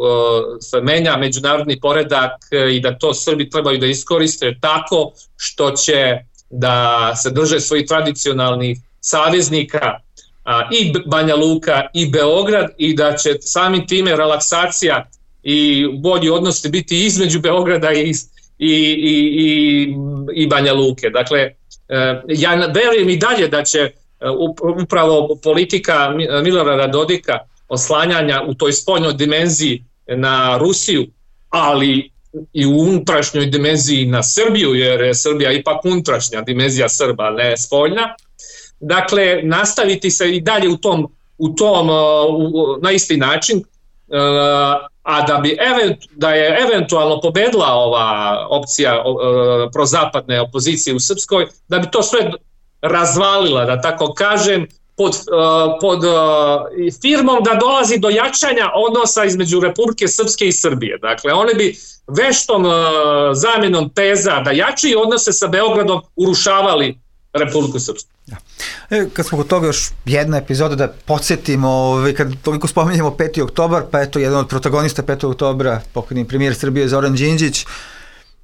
se menja međunarodni poredak i da to Srbi trebaju da iskoriste tako što će da se drže svojih tradicionalnih saveznika a, i Banja Luka i Beograd i da će samim time relaksacija i bolji odnosi biti između Beograda i, i, i, i, i Banja Luke. Dakle, ja verujem i dalje da će upravo politika Milorada Dodika oslanjanja u toj spoljnoj dimenziji na Rusiju, ali i u unutrašnjoj dimenziji na Srbiju, jer je Srbija ipak unutrašnja dimenzija Srba, ne spoljna. Dakle, nastaviti se i dalje u tom, u tom u, na isti način, a da bi da je eventualno pobedila ova opcija prozapadne opozicije u Srpskoj, da bi to sve razvalila, da tako kažem, pod, pod firmom da dolazi do jačanja odnosa između Republike Srpske i Srbije. Dakle, oni bi veštom zamjenom teza da jačaju odnose sa Beogradom urušavali Republiku Srpsku. Ja. E, kad smo kod toga još jedna epizoda da podsjetimo, kad toliko spominjemo peti oktobar, pa eto jedan od protagonista petog oktobra, pokojni premijer Srbije Zoran Đinđić,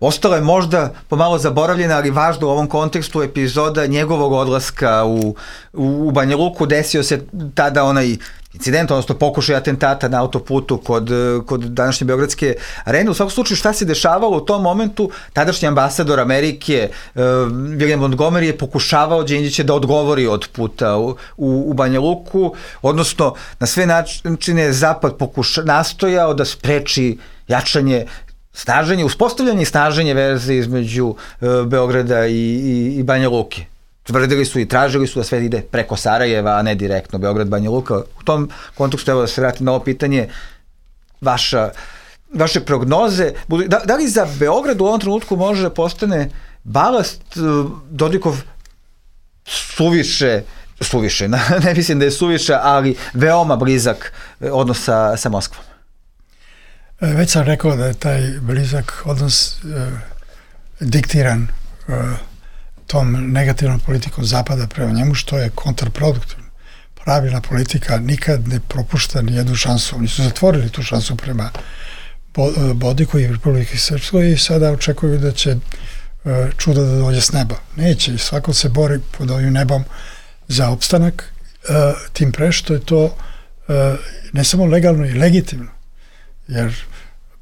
ostala je možda pomalo zaboravljena, ali važno u ovom kontekstu epizoda njegovog odlaska u, u Banja Luku. Desio se tada onaj incident, odnosno pokušaj atentata na autoputu kod, kod današnje Beogradske arene. U svakom slučaju, šta se dešavalo u tom momentu? Tadašnji ambasador Amerike, uh, William Montgomery, je pokušavao Đinđića da odgovori od puta u, u, u Banja Luku, odnosno na sve načine Zapad pokuša, nastojao da spreči jačanje snaženje, uspostavljanje i snaženje veze između uh, Beograda i, i, i Banja Luke. Tvrdili su i tražili su da sve ide preko Sarajeva, a ne direktno Beograd, Banja Luka. U tom kontekstu, evo da se vratim na ovo pitanje, vaša, vaše prognoze, da, da li za Beograd u ovom trenutku može da postane balast uh, Dodikov suviše, suviše, ne mislim da je suviše, ali veoma blizak odnos sa, sa Moskvom? Već sam rekao da je taj blizak odnos uh, diktiran uh, tom negativnom politikom Zapada prema njemu, što je kontraproduktivno. Pravilna politika nikad ne propušta ni jednu šansu. Oni su zatvorili tu šansu prema Dodiku i Republike Srpskoj i sada očekuju da će uh, čudo da dođe s neba. Neće. Svako se bori pod ovim nebom za opstanak, uh, tim pre što je to uh, ne samo legalno i legitimno, jer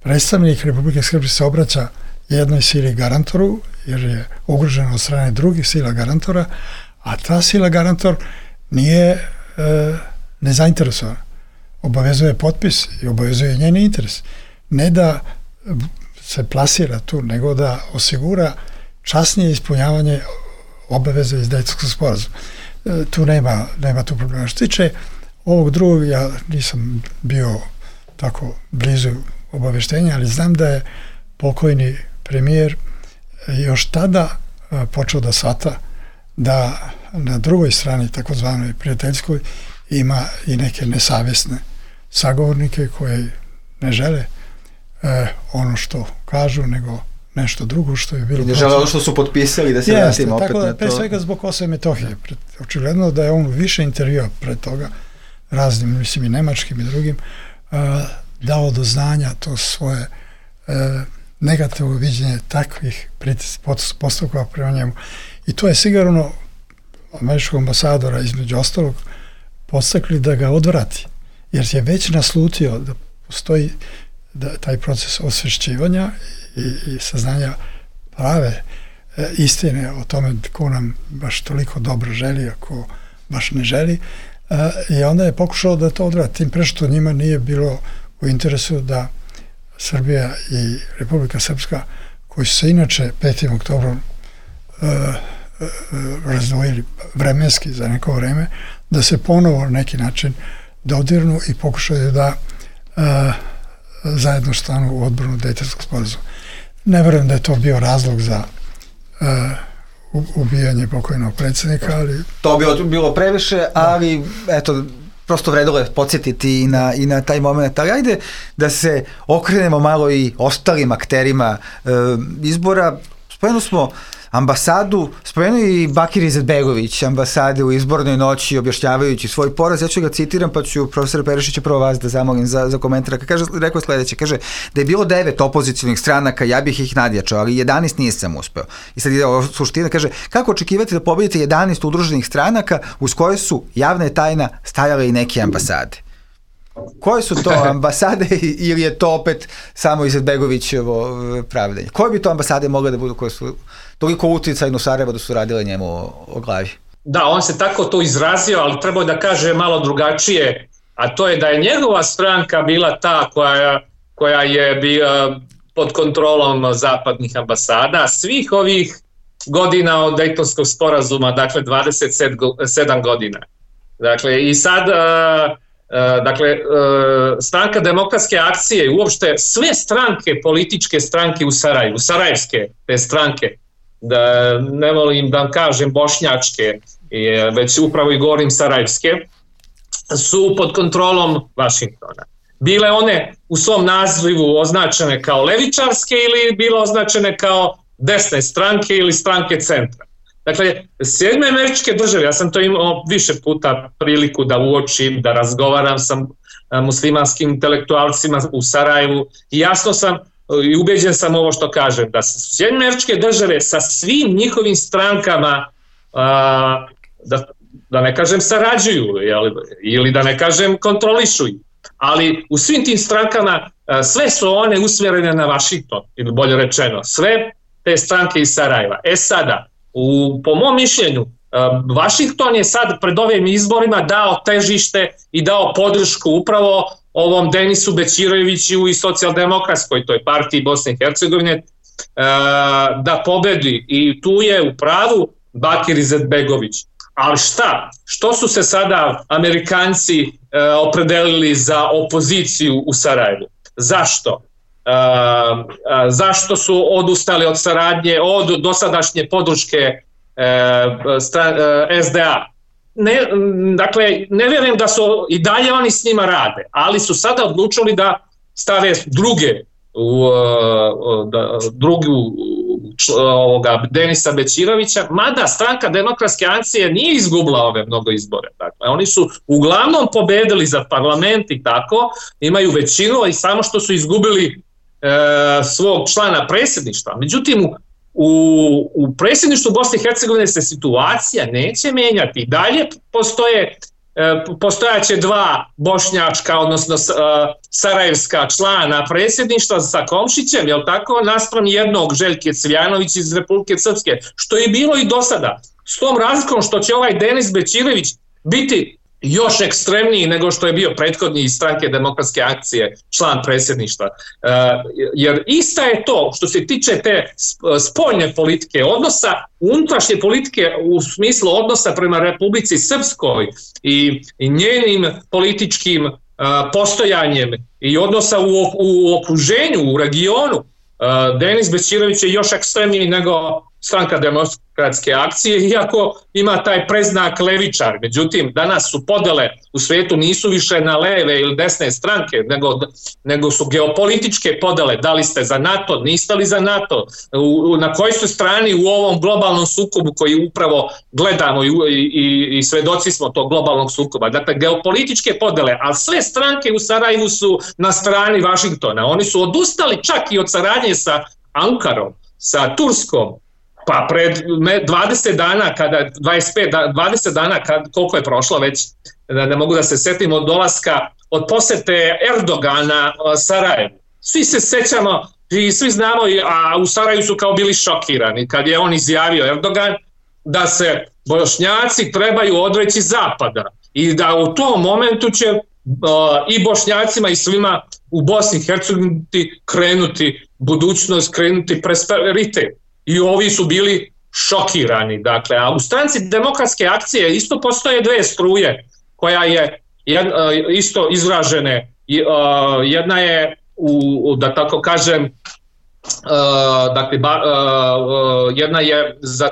predstavnik Republike Srpske se obraća jednoj sili garantoru, jer je ugrožena od strane drugih sila garantora, a ta sila garantor nije e, nezainteresovana. Obavezuje potpis i obavezuje njeni interes. Ne da se plasira tu, nego da osigura časnije ispunjavanje obaveze iz Dejtonskog sporazuma. E, tu nema, nema tu problema. Što tiče ovog drugog, ja nisam bio tako blizu obaveštenja, ali znam da je pokojni premijer još tada počeo da shvata da na drugoj strani, takozvanoj prijateljskoj, ima i neke nesavjesne sagovornike koji ne žele eh, ono što kažu, nego nešto drugo što je bilo... I ne žele ono što su potpisali, da se vratimo opet tako da, na to. Pre svega zbog Kosova i Metohije. Očigledno da je on više intervjua pred toga, raznim, mislim i nemačkim i drugim, eh, dao do znanja to svoje eh, negativno viđenje takvih postupaka prema njemu. I to je sigurno američkog ambasadora između ostalog podstakli da ga odvrati, jer je već naslutio da postoji da, taj proces osvešćivanja i, i saznanja prave e, istine o tome ko nam baš toliko dobro želi, a ko baš ne želi, e, i onda je pokušao da to odvrati, tim pre što njima nije bilo u interesu da Srbija i Republika Srpska, koji su se inače petim oktobrom e, e, razdvojili vremenski za neko vreme, da se ponovo na neki način dodirnu i pokušaju da e, zajedno stanu u odbranu Dejtonskog sporazuma. Ne verujem da je to bio razlog za uh, ubijanje pokojnog predsjednika, ali... To bi bilo previše, ali eto, prosto vredilo je podsjetiti i na, i na taj moment. Ali ajde da se okrenemo malo i ostalim akterima e, izbora. Spomenuli smo ambasadu, spomenuo i Bakir Izetbegović ambasade u izbornoj noći objašnjavajući svoj poraz. Ja ću ga citiram, pa ću profesor Perišića prvo vas da zamolim za, za komentar. Kaže, rekao sledeće, kaže da je bilo devet opozicionih stranaka, ja bih ih nadjačao, ali jedanaest nisam uspeo. I sad ide ovo suština, kaže, kako očekivati da pobedite jedanaest udruženih stranaka uz koje su javna je tajna stajale i neke ambasade? Koje su to ambasade ili je to opet samo Izetbegovićevo pravdanje? Koje bi to ambasade mogle da budu koje su toliko uticajno u Sarajevo da su radile njemu o, o glavi? Da, on se tako to izrazio, ali trebao da kaže malo drugačije, a to je da je njegova stranka bila ta koja, koja je bila pod kontrolom zapadnih ambasada svih ovih godina od Dejtonskog sporazuma, dakle dvadeset sedam godina. Dakle, i sad... Dakle, stranka Demokratske akcije i uopšte sve stranke, političke stranke u Sarajevu, sarajevske te stranke, da ne volim da vam kažem bošnjačke, već upravo i govorim sarajevske, su pod kontrolom Vašingtona. Bile one u svom nazivu označene kao levičarske ili bile označene kao desne stranke ili stranke centra. Dakle, Sjedinjene Američke Države, ja sam to imao više puta priliku da uočim, da razgovaram sa muslimanskim intelektualcima u Sarajevu i jasno sam i ubeđen sam ovo što kažem, da su Sjedinjene Američke Države sa svim njihovim strankama, a, da, da ne kažem sarađuju, jel, ili da ne kažem kontrolišu, ali u svim tim strankama a, sve su one usmjerene na Vašington, ili bolje rečeno, sve te stranke iz Sarajeva. E sada, U, po mom mišljenju, Vašington je sad pred ovim izborima dao težište i dao podršku upravo ovom Denisu Bećiroviću i socijaldemokratskoj toj partiji Bosne i Hercegovine da pobedi, i tu je u pravu Bakir Izetbegović. Ali šta? Što su se sada Amerikanci opredelili za opoziciju u Sarajevu? Zašto? Uh, uh, zašto su odustali od saradnje, od dosadašnje podrške uh, stra, uh, S D A. Ne, dakle, ne vjerujem da su i dalje oni s njima rade, ali su sada odlučili da stave druge u uh, da, drugu ovoga Denisa Bećirovića, mada stranka Demokratske akcije nije izgubila ove mnogo izbore. Dakle, oni su uglavnom pobedili za parlament i tako, imaju većinu, i samo što su izgubili E, svog člana predsjedništva. Međutim, u, u predsjedništvu Bosne i Hercegovine se situacija neće menjati. Dalje postoje, e, postojaće dva bošnjačka, odnosno e, sarajevska člana predsjedništva sa Komšićem, jel tako, naspram jednog Željke Cvijanović iz Republike Srpske, što je bilo i do sada. S tom razlikom što će ovaj Denis Bećirović biti još ekstremniji nego što je bio prethodni iz stranke Demokratske akcije član predsjedništva. E, jer ista je to što se tiče te spoljne politike, odnosa unutrašnje politike u smislu odnosa prema Republici Srpskoj i, i njenim političkim e, postojanjem i odnosa u, u okruženju, u regionu. e, Denis Bećirović je još ekstremniji nego stranka Demokratske akcije, iako ima taj preznak levičar. Međutim, danas su podele u svijetu nisu više na leve ili desne stranke, nego, nego su geopolitičke podele. Da li ste za NATO, niste li za NATO, u, na kojoj ste strani u ovom globalnom sukobu koji upravo gledamo i, i, i svedoci smo tog globalnog sukoba. Dakle, geopolitičke podele, ali sve stranke u Sarajevu su na strani Vašingtona. Oni su odustali čak i od saradnje sa Ankarom, sa Turskom, pa pred dvadeset dana, kada, dvadeset pet, dvadeset dana, kad, koliko je prošlo već, ne, ne mogu da se setim od dolaska, od posete Erdogana Sarajevu. Svi se sećamo i svi znamo, a u Sarajevu su kao bili šokirani kad je on izjavio, Erdogan, da se Bošnjaci trebaju odreći Zapada i da u tom momentu će uh, i Bošnjacima i svima u Bosni i Hercegovini krenuti budućnost, krenuti prosperitet. I ovi su bili šokirani. Dakle, a u stranci Demokratske akcije isto postoje dve struje koja je jed, uh, isto izražene. I, uh, jedna je, u, da tako kažem, uh, dakle, ba, uh, jedna je za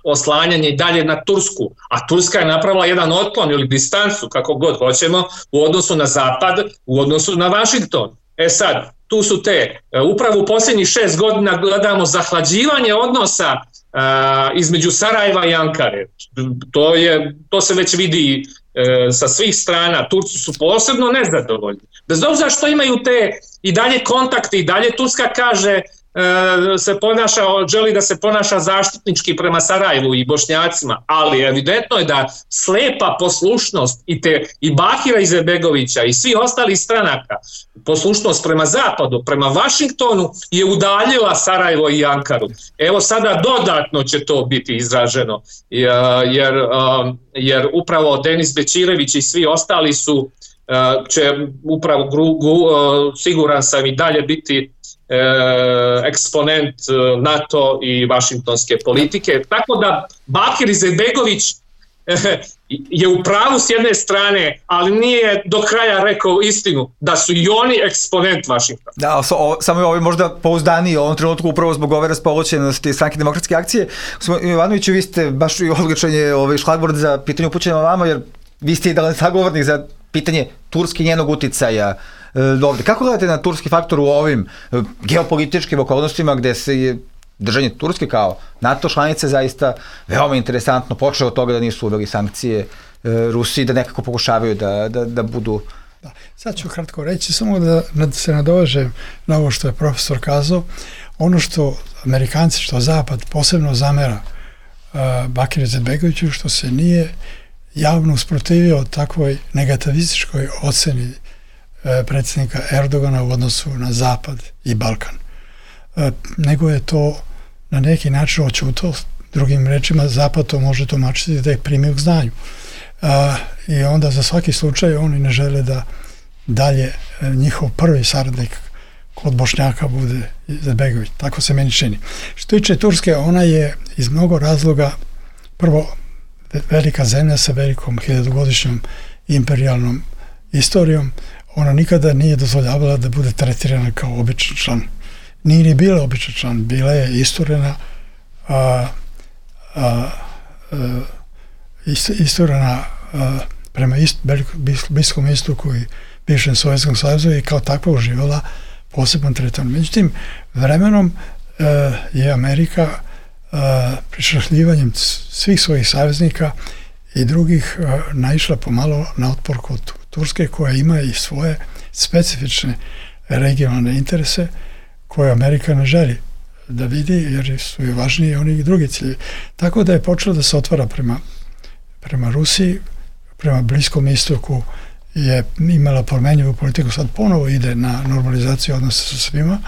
oslanjanje i dalje na Tursku, a Turska je napravila jedan otklon ili distancu, kako god hoćemo, u odnosu na Zapad, u odnosu na Vašington. E sad, tu su te, upravo u posljednjih šest godina gledamo zahlađivanje odnosa a, između Sarajeva i Ankare. To, je, to se već vidi e, sa svih strana. Turci su posebno nezadovoljni. Bez obzira što imaju te i dalje kontakte, i dalje Turska kaže se ponaša, želi da se ponaša zaštitnički prema Sarajevu i Bošnjacima, ali evidentno je da slepa poslušnost i, te, i Bakira Izetbegovića i svih ostalih stranaka, poslušnost prema Zapadu, prema Vašingtonu je udaljila Sarajevo i Ankaru. Evo sada dodatno će to biti izraženo, jer, jer upravo Denis Bećirević i svi ostali su, će upravo siguran sam i dalje biti eksponent NATO i vašingtonske politike. Tako da Bakir Izetbegović je u pravu s jedne strane, ali nije do kraja rekao istinu da su i oni eksponent Vašingtona. Da, so, samo je ovo možda pouzdaniji u ovom trenutku upravo zbog ove raspoloćenosti stranke Demokratske akcije. Gospodin Jovanoviću, vi ste baš i odličan je ovaj šlagvord za pitanje upućeno vama, jer vi ste idealan sagovornik za pitanje Turske i njenog uticaja ovdje. Kako gledate na turski faktor u ovim geopolitičkim okolnostima gdje se je držanje Turske kao NATO članice zaista veoma interesantno, počeo od toga da nisu uveli sankcije Rusiji, da nekako pokušavaju da, da, da budu... Da. Sad ću kratko reći, samo da, da se nadovežem na ovo što je profesor kazao. Ono što Amerikanci, što Zapad posebno zamera uh, Bakiru Izetbegoviću, što se nije javno usprotivio takvoj negativističkoj ocjeni predsjednika Erdogana u odnosu na Zapad i Balkan. E, nego je to na neki način očuto, drugim rečima Zapad to može tumačiti da je primio k znanju. E, I onda za svaki slučaj oni ne žele da dalje njihov prvi saradnik kod Bošnjaka bude Izetbegović. Tako se meni čini. Što tiče Turske, ona je iz mnogo razloga prvo velika zemlja sa velikom hiljadugodišnjom imperijalnom istorijom. Ona nikada nije dozvoljavala da bude tretirana kao običan član. Nije ni bila običan član, bila je isturena a, a, a, isturena a, prema ist, Bliskom istoku i bivšem Sovjetskom savezu i kao takva uživala poseban tretman. Međutim, vremenom a, je Amerika a, prišrahljivanjem svih svojih saveznika i drugih a, naišla pomalo na otpor kod Turske, koja ima i svoje specifične regionalne interese koje Amerika ne želi da vidi, jer su joj važniji oni i drugi cilji. Tako da je počelo da se otvara prema, prema Rusiji, prema Bliskom istoku je imala promenjivu politiku, sad ponovo ide na normalizaciju odnosa sa svima.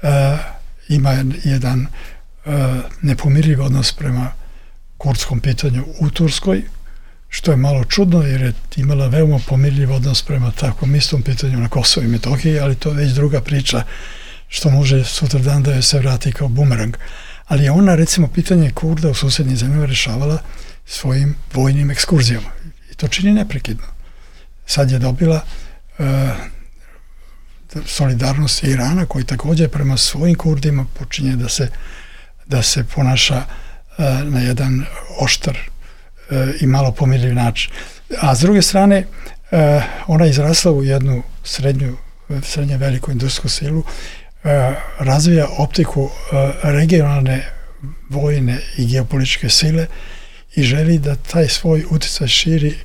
E, ima jedan e, nepomirljiv odnos prema kurdskom pitanju u Turskoj, što je malo čudno jer je imala veoma pomirljiv odnos prema takvom istom pitanju na Kosovo i Metohiji, ali to je već druga priča što može sutra dan da je se vrati kao bumerang. Ali je ona, recimo, pitanje Kurda u susjednim zemljama rješavala svojim vojnim ekskurzijama. I to čini neprekidno. Sad je dobila uh, solidarnost Irana, koji također prema svojim Kurdima počinje da se, da se ponaša uh, na jedan oštar uh, i malo pomirljiv način. A s druge strane, uh, ona je izrasla u jednu srednju, srednje veliku industrijsku silu, uh, razvija optiku uh, regionalne vojne i geopolitičke sile i želi da taj svoj utjecaj širi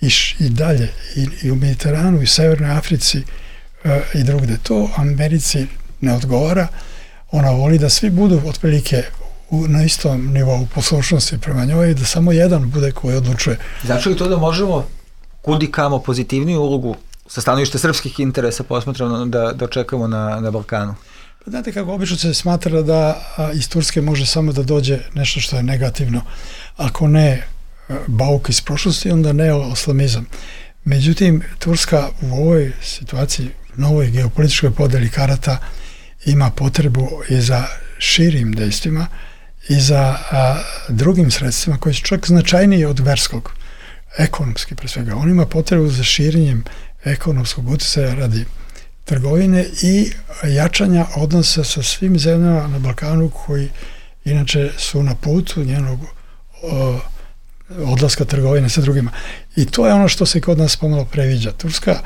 i, š, i dalje i, i u Mediteranu i Severnoj Africi uh, i drugdje. To Americi ne odgovara. Ona voli da svi budu otprilike u, na istom nivou poslušnosti prema njoj i da samo jedan bude koji odlučuje. Znači li to da možemo kudi kamo pozitivniju ulogu sa stanovišta srpskih interesa posmatrano da, da očekamo na, na Balkanu? Pa znate kako obično se smatra da a, iz Turske može samo da dođe nešto što je negativno. Ako ne a, bauk iz prošlosti, onda neoslamizam. Međutim, Turska u ovoj situaciji, novoj geopolitičkoj podeli karata, ima potrebu i za širim dejstvima i za a, drugim sredstvima koji su čak značajniji od verskog, ekonomski pre svega. On ima potrebu za širenjem ekonomskog utjecaja radi trgovine i jačanja odnosa sa svim zemljama na Balkanu koji inače su na putu njenog o, odlaska trgovine sa drugima. I to je ono što se kod nas pomalo previđa. Turska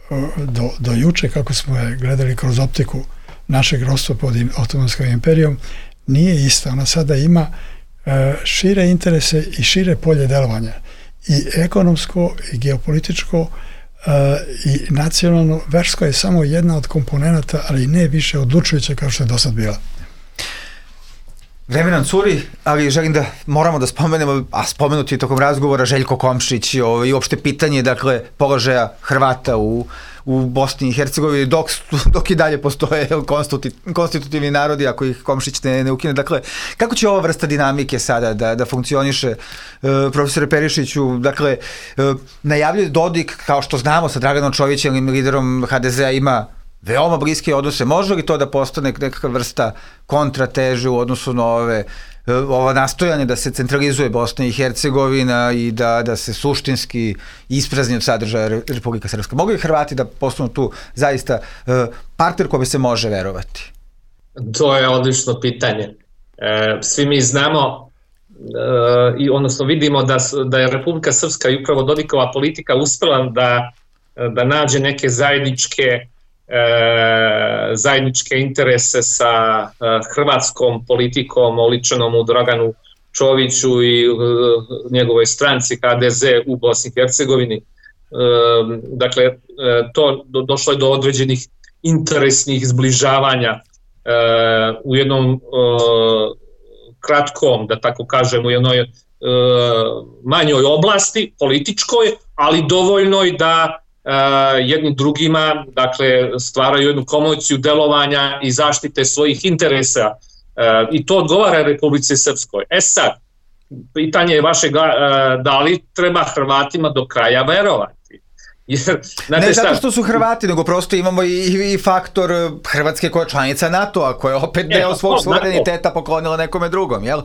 o, do, do juče, kako smo je gledali kroz optiku našeg ropstva pod Otomanskom imperijom, nije ista. Ona sada ima e, šire interese i šire polje delovanja. I ekonomsko, i geopolitičko, Uh, i nacionalno, versko je samo jedna od komponenata, ali ne više odlučujuća kao što je do sad bila. Vreme nam curi, ali želim da moramo da spomenemo, a spomenuti tokom razgovora Željko Komšić i uopšte pitanje, dakle, položaja Hrvata u, u Bosni i Hercegovini, dok, dok i dalje postoje konstitutivni narodi, ako ih Komšić ne, ne ukine. Dakle, kako će ova vrsta dinamike sada da, da funkcioniše, uh, profesore Perišiću? Dakle, uh, najavljuje Dodik, kao što znamo, sa Draganom Čovićem, liderom ha de zea, ima veoma bliske odnose. Može li to da postane nekakva vrsta kontrateže u odnosu na ove, ova nastojanje da se centralizuje Bosna i Hercegovina i da, da se suštinski isprazni od sadržaja Republika Srpska? Mogu li Hrvati da postanu tu zaista partner kome se može verovati? To je odlično pitanje. Svi mi znamo i odnosno vidimo da, da je Republika Srpska i upravo Dodikova politika uspela da, da nađe neke zajedničke E, zajedničke interese sa e, hrvatskom politikom oličenom u Draganu Čoviću i e, njegovoj stranci ha de ze u Bosni i Hercegovini. E, dakle, e, to do, došlo je do određenih interesnih zbližavanja e, u jednom e, kratkom, da tako kažem, u jednoj e, manjoj oblasti, političkoj, ali dovoljnoj da Uh, jednim drugima, dakle, stvaraju jednu komociju delovanja i zaštite svojih interesa uh, i to odgovara Republici Srpskoj. E sad, pitanje je vašeg uh, da li treba Hrvatima do kraja verovati? Jer, znate, ne zato što su Hrvati, nego prosto imamo i, i faktor Hrvatske koja je članica NATO-a, koja je opet deo svog suvereniteta poklonila nekome drugom, jel?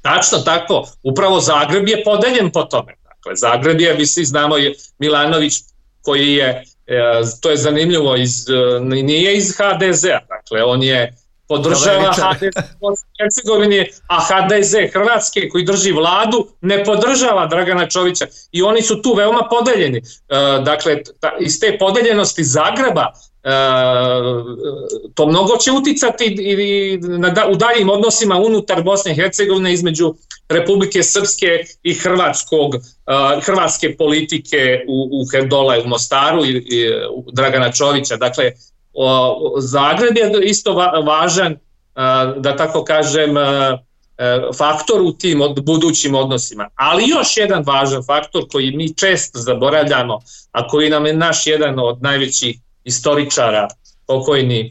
Tačno tako. Upravo Zagreb je podeljen po tome. Dakle, Zagreb je, vi svi znamo, je Milanović koji je, to je zanimljivo, iz, nije iz ha de zea, dakle on je podržava ha de ze Bosne i Hercegovine, a ha de ze Hrvatske koji drži vladu ne podržava Dragana Čovića i oni su tu veoma podeljeni. Dakle, iz te podeljenosti Zagreba to mnogo će uticati i u daljim odnosima unutar Bosne i Hercegovine između Republike Srpske i hrvatskog, hrvatske politike u, u Herdole, u Mostaru i, i u Dragana Čovića. Dakle, Zagreb je isto važan, da tako kažem, faktor u tim budućim odnosima. Ali još jedan važan faktor koji mi često zaboravljamo, a koji nam je naš jedan od najvećih istoričara, pokojni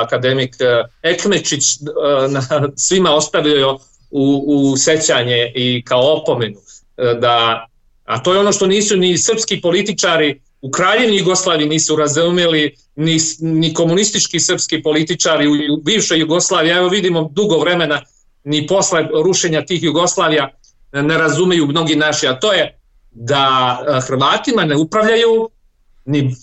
akademik Ekmečić, svima ostavio u, u sećanje i kao opomenu, da, a to je ono što nisu ni srpski političari u Kraljevini Jugoslaviji nisu razumeli, ni, ni komunistički srpski političari u, u bivšoj Jugoslaviji, evo vidimo dugo vremena, ni posle rušenja tih Jugoslavija ne razumeju mnogi naši, a to je da Hrvatima ne upravljaju ni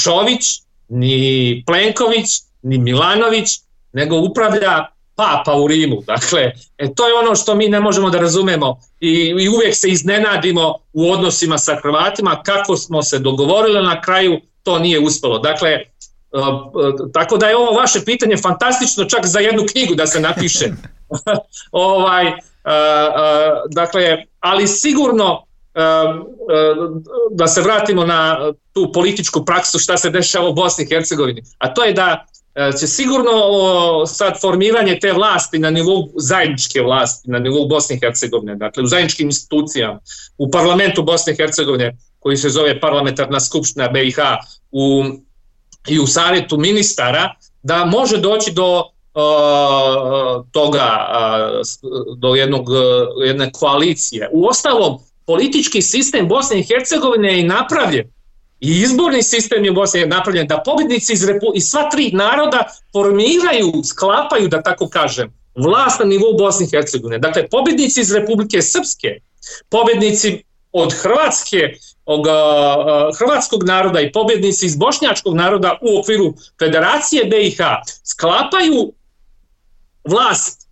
Čović, ni Plenković, ni Milanović, nego upravlja Papa u Rimu. Dakle, e, to je ono što mi ne možemo da razumemo i, i uvijek se iznenadimo u odnosima sa Hrvatima, kako smo se dogovorili, na kraju to nije uspelo. Dakle, uh, uh, tako da je ovo vaše pitanje fantastično, čak za jednu knjigu da se napiše. ovaj, uh, uh, dakle, ali sigurno da se vratimo na tu političku praksu šta se dešava u Bosni i Hercegovini, a to je da će sigurno sad formiranje te vlasti na nivou zajedničke vlasti, na nivou Bosne i Hercegovine, dakle u zajedničkim institucijama, u parlamentu Bosne i Hercegovine koji se zove Parlamentarna skupština B i H u, i u savjetu ministara, da može doći do uh, toga, uh, do jednog, uh, jedne koalicije. U ostalom, politički sistem Bosne i Hercegovine je napravljen i izborni sistem je u Bosni napravljen da pobjednici iz, Repu- iz sva tri naroda formiraju, sklapaju, da tako kažem, vlast na nivou Bosne i Hercegovine. Dakle, pobjednici iz Republike Srpske, pobjednici od Hrvatske, od, uh, hrvatskog naroda i pobjednici iz bošnjačkog naroda u okviru Federacije B i H sklapaju vlast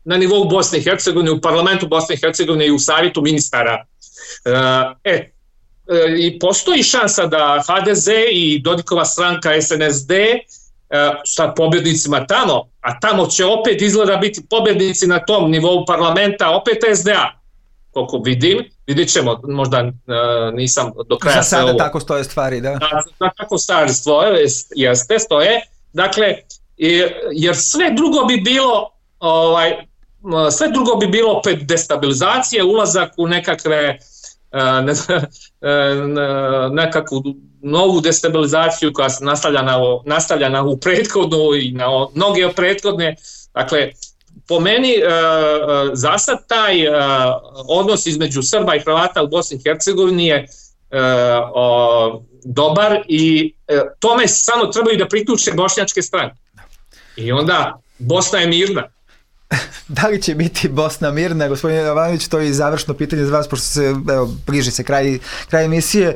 na nivou Bosne i Hercegovine, u parlamentu Bosne i Hercegovine i u savjetu ministara. Uh, e, i postoji šansa da H D Z i Dodikova stranka S N S D sa pobjednicima tamo, a tamo će opet izgleda biti pobjednici na tom nivou parlamenta, opet S D A, koliko vidim, vidjet ćemo, možda nisam do kraja sve ovo. Za sada tako stoje stvari, da? Da, da tako stvari stoje, jeste, stoje. Dakle, jer sve drugo bi bilo, ovaj, sve drugo bi bilo opet destabilizacije, ulazak u nekakve Ne, nekakvu novu destabilizaciju koja se nastavlja na, nastavlja na ovu prethodnu i na mnoge prethodne. Dakle, po meni za sad taj odnos između Srba i Hrvata u Bosni i Hercegovini je dobar i tome samo trebaju da priključe bošnjačke stranke. I onda Bosna je mirna. Da li će biti Bosna mirna, gospodine Jovanović, to je i završno pitanje za vas, pošto se, evo, bliži se kraj, kraj emisije.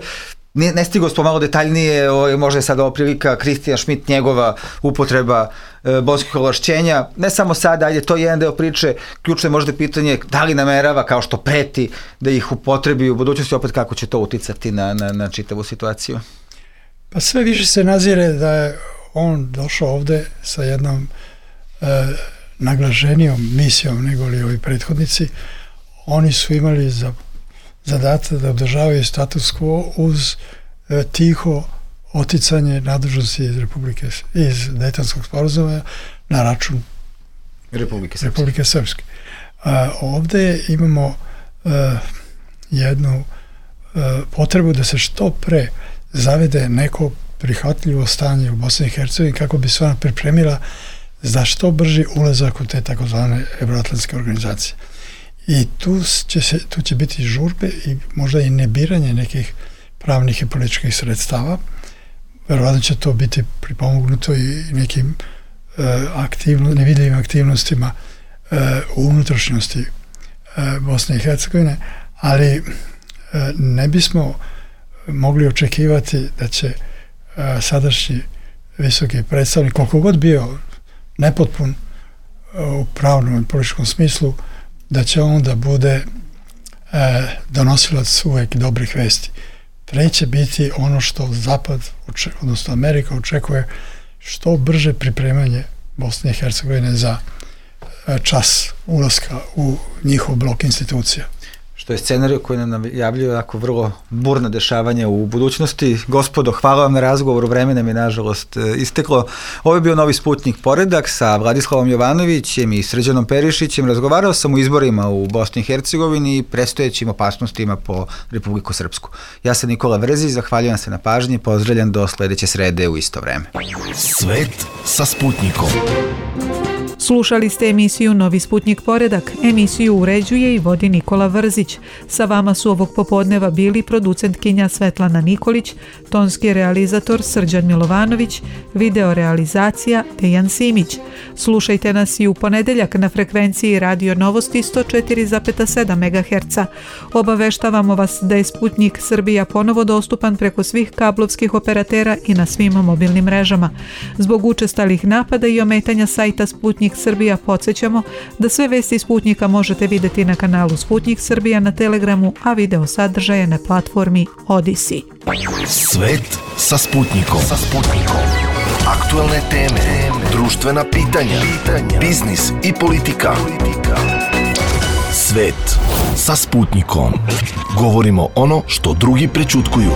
Ne, ne stigo smo malo detaljnije, o, možda je sad ovo prilika Kristijan Šmit, njegova upotreba e, bonskih ovlašćenja. Ne samo sada, ajde, to je jedan deo priče, ključno je možda pitanje da li namerava, kao što preti, da ih upotrebi u budućnosti, opet kako će to uticati na, na, na čitavu situaciju? Pa sve više se nazire da je on došao ovde sa jednom e, naglaženijom misijom nego li ovi prethodnici. Oni su imali za, zadatak da održavaju status quo uz e, tiho oticanje nadležnosti iz Republike, iz Dejtonskog sporazuma na račun Republike Srpske. Republike Srpske. A, ovde imamo a, jednu a, potrebu da se što pre zavede neko prihvatljivo stanje u Bosni i Hercegovini kako bi se ona pripremila za što brži ulazak u te takozvane evroatlantske organizacije. I tu će, se, tu će biti žurbe i možda i nebiranje nekih pravnih i političkih sredstava. Verovatno će to biti pripomognuto i nekim uh, aktivno, nevidljivim aktivnostima uh, u unutrašnjosti uh, Bosne i Hercegovine, ali uh, ne bismo mogli očekivati da će uh, sadašnji visoki predstavnik, koliko god bio nepotpun u pravnom i političkom smislu, da će on da bude e, donosilac uvek dobrih vesti. Pre će biti ono što Zapad, odnosno Amerika, očekuje što brže pripremanje Bosne i Hercegovine za e, čas ulaska u njihov blok institucija. Što je scenarij koji nam najavljuje jako vrlo burna dešavanja u budućnosti. Gospodo, hvala vam na razgovoru, vreme nam je nažalost isteklo. Ovo je bio Novi Sputnik Poredak sa Vladislavom Jovanovićem i Srđanom Perišićem. Razgovarao sam o izborima u Bosni i Hercegovini i predstojećim opasnostima po Republiku Srpsku. Ja sam Nikola Vrzić, zahvaljujem se na pažnji, pozdravljam do sledeće srede u isto vreme. Svet sa Sputnikom. Slušali ste emisiju Novi Sputnik Poredak. Emisiju uređuje i vodi Nikola Vrzić. Sa vama su ovog popodneva bili producentkinja Svetlana Nikolić, tonski realizator Srđan Milovanović, video realizacija Dejan Simić. Slušajte nas i u ponedeljak na frekvenciji Radio Novosti sto četiri zarez sedam megaherca. Obaveštavamo vas da je Sputnik Srbija ponovo dostupan preko svih kablovskih operatera i na svim mobilnim mrežama. Zbog učestalih napada i ometanja sajta Sputnik Srbija podsjećamo da sve vesti Sputnika možete vidjeti na kanalu Sputnik Srbija na Telegramu, a video sadržaje na platformi Odyssey. Svet sa Sputnikom. Sa Sputnikom. Aktualne teme, društvena pitanja, biznis i politika. Svet sa Sputnikom. Govorimo ono što drugi prećutkuju.